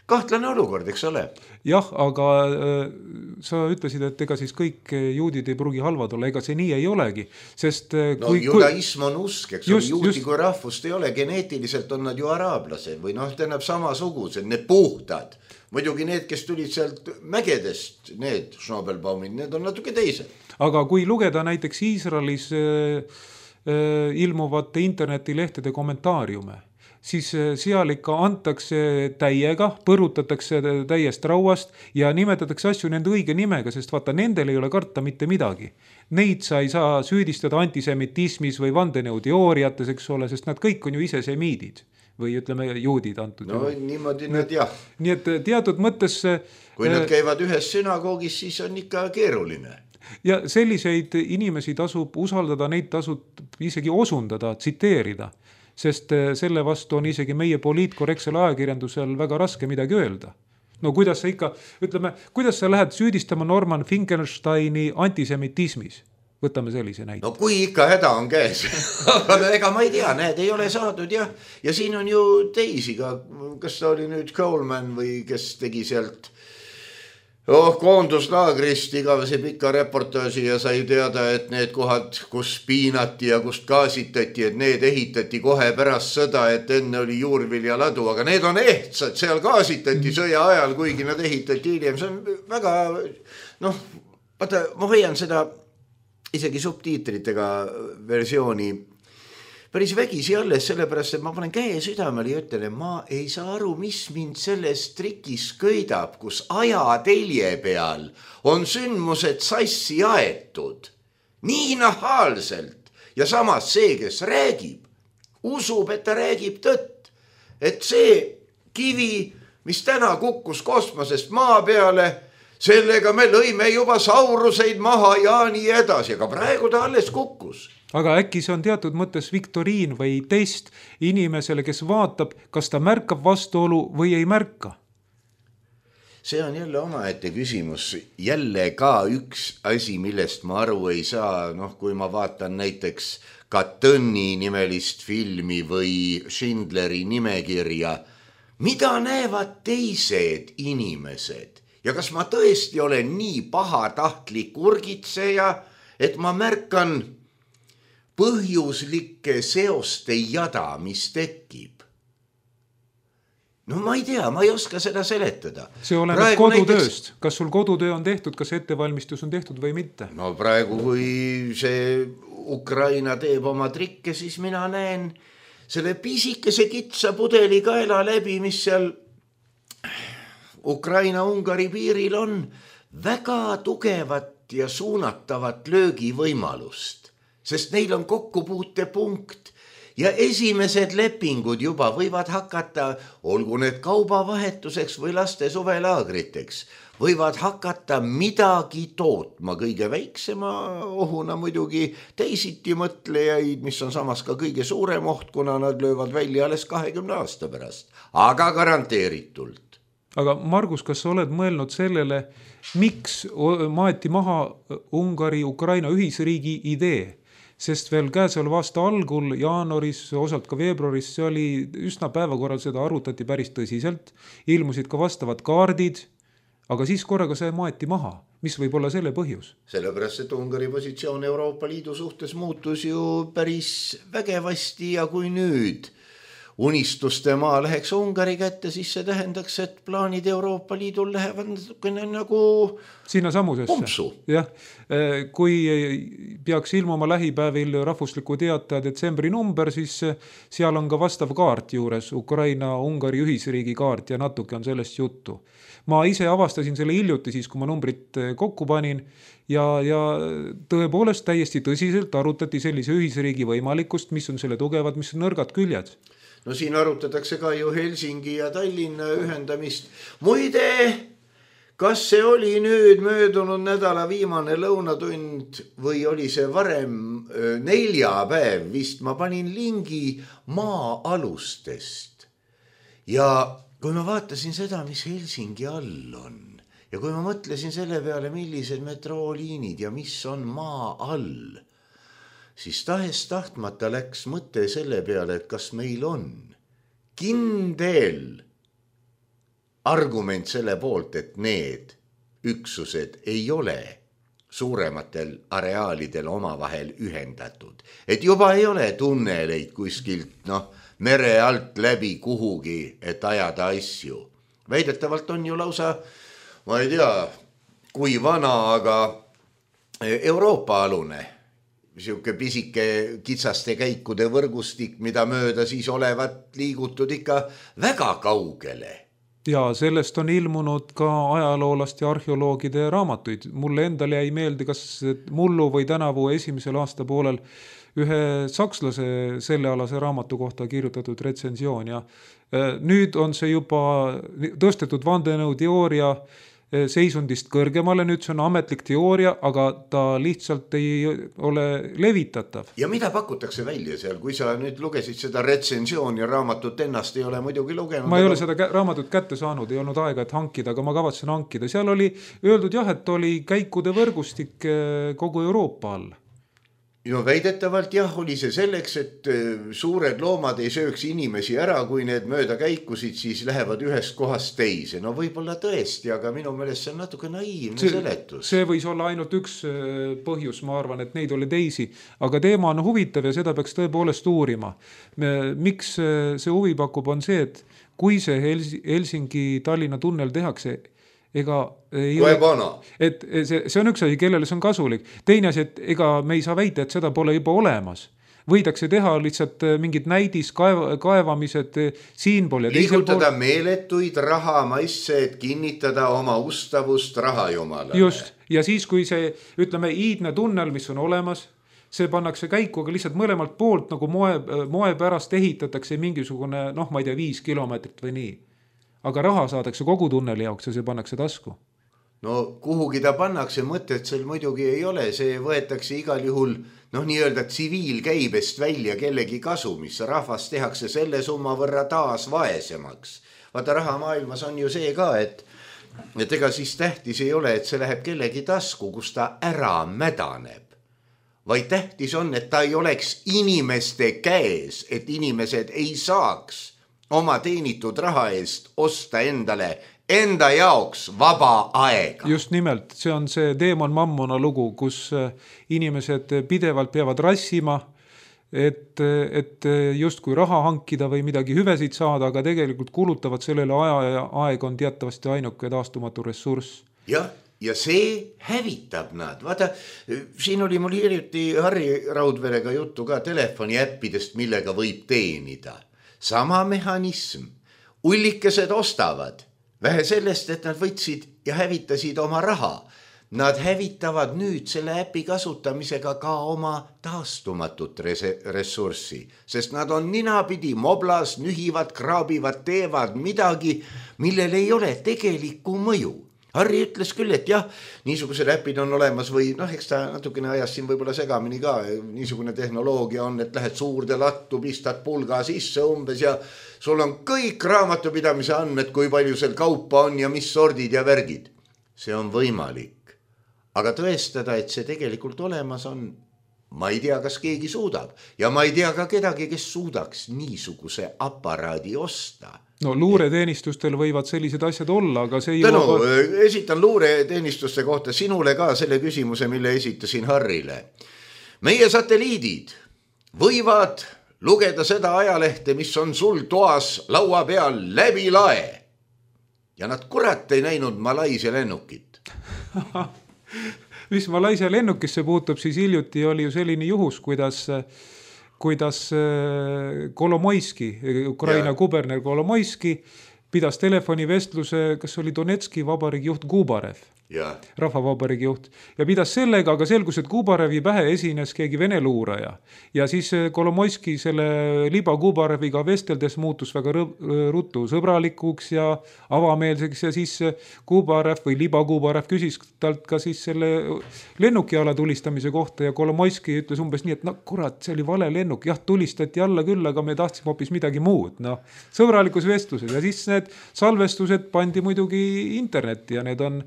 Speaker 3: Kahtlane olukord, eks ole?
Speaker 4: Jah, aga äh, sa ütlesid, et ega siis kõik juudid ei pruugi halvad olla, ega see nii ei olegi. Sest, äh,
Speaker 3: no
Speaker 4: kui,
Speaker 3: judaism on usk, eks
Speaker 4: just,
Speaker 3: ole, juudi
Speaker 4: just,
Speaker 3: kui rahvust ei ole, geneetiliselt on nad ju araablased või noh, tähendab samasugused, need puhtad. Muidugi need, kes tulid sealt mägedest, need Schnabelbaumid, need on natuke teised.
Speaker 4: Aga kui lugeda näiteks Iisraelis äh, äh, ilmuvate internetilehtede kommentaariume, siis seal ikka antakse täiega, põrutatakse täiest rauast ja nimetatakse asju nende õige nimega, sest vaata, nendel ei ole karta mitte midagi. Neid sa ei saa süüdistada antisemitismis või vandenõuteooriates, eks ole, sest nad kõik on ju ise semiidid või ütleme juudid antud.
Speaker 3: No juhu. Niimoodi nad jah.
Speaker 4: Nii et teatud mõttes...
Speaker 3: Kui nad käivad ühes sünagoogis, siis on ikka keeruline.
Speaker 4: Ja selliseid inimesi tasub usaldada, neid tasub isegi osundada, tsiteerida. Sest selle vastu on isegi meie poliitkorrektsel ajakirjandusel väga raske midagi öelda. No kuidas sa ikka, ütleme, kuidas sa lähed süüdistama Norman Finkelsteini antisemitismis? Võtame sellise näite.
Speaker 3: No kui ikka häda on käes, aga ega ma ei tea, näed, ei ole saadud jah. Ja siin on ju teisi ka, kas ta oli nüüd Coleman või kes tegi sealt oh, koonduslaagrist igavese pika reportaaži ja sai teada, et need kohad, kus piinati ja kust gaasitati, et need ehitati kohe pärast sõda, et enne oli juurvilja ladu, aga need on ehtsad, seal gaasitati sõja ajal, kuigi nad ehitati hiljem. See on väga, noh, vaata, ma hoian seda isegi subtiitritega versiooni päris vägisi alles, sellepärast, et ma panen käe südamele ja ütlen, et ma ei saa aru, mis mind selles trikis köidab, kus ajatelje peal on sündmused sassi aetud. Nii nahaalselt. Ja samas see, kes räägib, usub, et ta räägib tõtt. Et see kivi, mis täna kukkus kosmosest maa peale, sellega me lõime juba sauruseid maha ja nii edasi, aga praegu ta alles kukkus.
Speaker 4: Aga äkki see on teatud mõttes viktoriin või test inimesele, kes vaatab, kas ta märkab vastuolu või ei märka?
Speaker 3: See on jälle omaette küsimus. Jälle ka üks asi, millest ma aru ei saa. Noh, kui ma vaatan näiteks Katõnni nimelist filmi või Schindleri nimekirja, mida näevad teised inimesed? Ja kas ma tõesti olen nii pahatahtlik urgitseja, et ma märkan põhjuslike seoste jada, mis tekib? No ma ei tea, ma ei oska seda seletada.
Speaker 4: See oleneb praegu kodutööst. Näiteks... Kas sul kodutöö on tehtud, kas ettevalmistus on tehtud või mitte?
Speaker 3: No praegu, kui see Ukraina teeb oma trikke, siis mina näen selle pisikese kitsa pudeli kaela läbi, mis seal Ukraina-Ungari piiril on väga tugevat ja suunatavat löögivõimalust, sest neil on kokkupuutepunkt ja esimesed lepingud juba võivad hakata, olgu need kaubavahetuseks või laste suvelaagriteks, võivad hakata midagi tootma kõige väiksema ohuna muidugi teisiti mõtlejaid, mis on samas ka kõige suurem oht, kuna nad löövad välja alles kahekümne aasta pärast, aga garanteeritult.
Speaker 4: Aga Margus, kas sa oled mõelnud sellele, miks maeti maha Ungari-Ukraina ühisriigi idee? Sest veel käesoleva aasta algul, jaanuaris, osalt ka veebruaris, see oli üsna päevakorral, seda arutati päris tõsiselt, ilmusid ka vastavad kaardid, aga siis korraga see maeti maha. Mis võib olla selle põhjus?
Speaker 3: Sellepärast, et Ungari positsioon Euroopa Liidu suhtes muutus ju päris vägevasti ja kui nüüd unistuste maa läheks Ungari kätte, siis see tähendaks, et plaanid Euroopa Liidul lähevad nagu
Speaker 4: sinna samusesse.
Speaker 3: Pumpsu.
Speaker 4: Jah, kui peaks ilmuma lähipäevil rahvusliku teataja detsembri number, siis seal on ka vastav kaart juures, Ukraina-Ungari ühisriigi kaart ja natuke on sellest juttu. Ma ise avastasin selle hiljuti siis, kui ma numbrit kokku panin ja, ja tõepoolest täiesti tõsiselt arutati sellise ühisriigi võimalikkust, mis on selle tugevad, mis on nõrgad küljed.
Speaker 3: No siin arutatakse ka ju Helsingi ja Tallinna ühendamist. Muide, kas see oli nüüd möödunud nädala viimane lõunatund või oli see varem neljapäev, vist ma panin lingi maa-alustest. Ja kui ma vaatasin seda, mis Helsingi all on ja kui ma mõtlesin selle peale, millised metrooliinid ja mis on maa all, siis tahes tahtmata läks mõte selle peale, et kas meil on kindel argument selle poolt, et need üksused ei ole suurematel areaalidel omavahel ühendatud. Et juba ei ole tunneleid kuskilt noh, mere alt läbi kuhugi, et ajada asju. Väidetavalt on ju lausa, ma ei tea, kui vana, aga Euroopa alune, siuke pisike kitsaste käikude võrgustik, mida mööda siis olevat liigutud ikka väga kaugele.
Speaker 4: Ja sellest on ilmunud ka ajaloolast ja arheoloogide raamatuid. Mulle endale jäi meelde, kas mullu või tänavu esimesel aasta poolel ühe sakslase sellealase raamatu kohta kirjutatud retsensioon. Ja nüüd on see juba tõstetud vandenõu teooria seisundist kõrgemale, nüüd see on ametlik teooria, aga ta lihtsalt ei ole levitatav.
Speaker 3: Ja mida pakutakse välja seal, kui sa nüüd lugesid seda retsensiooni ja raamatut ennast ei ole muidugi lugenud?
Speaker 4: Ma ei ole seda raamatut kätte saanud, ei olnud aega, et hankida, aga ma kavatsen hankida. Seal oli öeldud jah, et oli käikude võrgustik kogu Euroopa all.
Speaker 3: No väidetavalt jah, oli see selleks, et suured loomad ei sööks inimesi ära, kui need mööda käikusid, siis lähevad ühest kohast teise. No võib-olla tõesti, aga minu meelest see on natuke naiivne see, seletus.
Speaker 4: See võis olla ainult üks põhjus, ma arvan, et neid oli teisi. Aga teema on huvitav ja seda peaks tõepoolest uurima. Miks see huvi pakub on see, et kui see Helsingi-Tallinna tunnel tehakse, ega ei
Speaker 3: ole,
Speaker 4: et see, see on üks asi, kellele see on kasulik. Teine asi, et ega me ei saa väita, et seda pole juba olemas. Võidakse teha lihtsalt mingid näidis kaeva, kaevamised siinpool.
Speaker 3: Liigutada pool... meeletuid rahamaisse, et kinnitada oma ustavust rahajumalale.
Speaker 4: Just, ja siis kui see, ütleme, iidne tunnel, mis on olemas, see pannakse käiku, aga lihtsalt mõlemalt poolt nagu moe, moe pärast ehitatakse mingisugune, noh, ma ei tea, viis kilomeetrit või nii. Aga raha saadakse kogu tunneli jaoks ja see pannakse tasku.
Speaker 3: No kuhugi ta pannakse, mõtet seal muidugi ei ole, see võetakse igal juhul noh, nii-öelda tsiviilkäibest välja kellegi kasumis. Rahvas tehakse selle summa võrra taas vaesemaks. Vaata, raha maailmas on ju see ka, et, et ega siis tähtis ei ole, et see läheb kellegi tasku, kus ta ära mädaneb. Vaid tähtis on, et ta ei oleks inimeste käes, et inimesed ei saaks oma teenitud raha eest osta endale enda jaoks vaba aega.
Speaker 4: Just nimelt, see on see Demon Mammona lugu, kus inimesed pidevalt peavad rassima, et, et just kui raha hankida või midagi hüvesid saada, aga tegelikult kulutavad sellele aja ja aeg on teatavasti ainuke taastumatu ressurss.
Speaker 3: Jah, ja see hävitab nad. Vaata, siin oli mul hiljuti Harri Raudverega juttu ka telefoniäppidest, millega võib teenida. Sama mehhanism. Ullikesed ostavad. Vähe sellest, et nad võtsid ja hävitasid oma raha. Nad hävitavad nüüd selle äpi kasutamisega ka oma taastumatut ressurssi. Sest nad on ninapidi moblas, nühivad, kraabivad, teevad midagi, millel ei ole tegelikku mõju. Harri ütles küll, et jah, niisugused äpid on olemas või noh, eks ta natukene ajas siin võib-olla segamini ka. Niisugune tehnoloogia on, et lähed suurde lattu, pistad pulga sisse umbes ja sul on kõik raamatupidamise andmed, kui palju seal kaupa on ja mis sordid ja värgid. See on võimalik. Aga tõestada, et see tegelikult olemas on, ma ei tea, kas keegi suudab. Ja ma ei tea ka kedagi, kes suudaks niisuguse aparaadi osta.
Speaker 4: No luureteenistustel võivad sellised asjad olla, aga see ei
Speaker 3: Tänu,
Speaker 4: ole...
Speaker 3: esitan luureteenistuste kohta sinule ka selle küsimuse, mille esitasin Harrile. Meie satelliidid võivad lugeda seda ajalehte, mis on sul toas laua peal läbi lae. Ja nad kurat ei näinud Malaisia lennukit.
Speaker 4: Mis Malaisia lennukisse puutub, siis hiljuti oli ju selline juhus, kuidas, kuidas Kolomoiski, Ukraina ja. Kuberner Kolomoiski pidas telefonivestluse, kas oli Donetski vabariigi juht Kubarev. Ja. Rahvavabariigi juht ja pidas sellega, aga selgus, et Kubarevi pähe esines keegi vene luuraja ja siis Kolomoiski selle liba Kubareviga vesteldes muutus väga ruttu sõbralikuks ja avameelseks ja siis Kubarev või liba Kubarev küsis talt ka siis selle lennukiala tulistamise kohta ja Kolomoiski ütles umbes nii, et no kurat, see oli vale lennuk, jah, tulistati alla küll, aga me tahtsime hoopis midagi muud, no sõbralikus vestluses ja siis need salvestused pandi muidugi internetti ja need on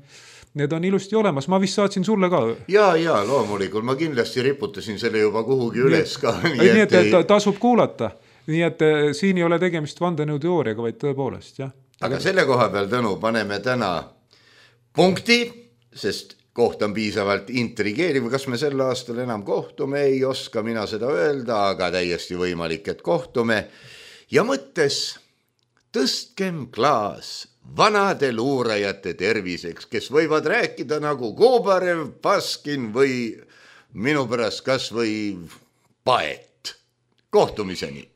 Speaker 4: Need on ilusti olemas, ma vist saatsin sulle ka.
Speaker 3: Ja, ja, loomulikult, ma kindlasti riputasin selle juba kuhugi üles ka.
Speaker 4: Nii, nii et, et tasub kuulata, nii et siin ei ole tegemist vandenõuteooriaga, vaid tõepoolest, jah.
Speaker 3: Aga selle koha peal, Tõnu, paneme täna punkti, sest koht on piisavalt intrigeeriv, kas me sel aastal enam kohtume, ei oska mina seda öelda, aga täiesti võimalik, et kohtume. Ja mõttes, tõstkem klaas vanade luurajate terviseks, kes võivad rääkida nagu Kubarev, Paskin või minu pärast kas või Paet. Kohtumiseni!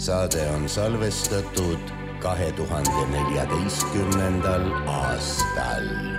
Speaker 5: saade on salvestatud kahe tuhande neljateistkümnendal aastal.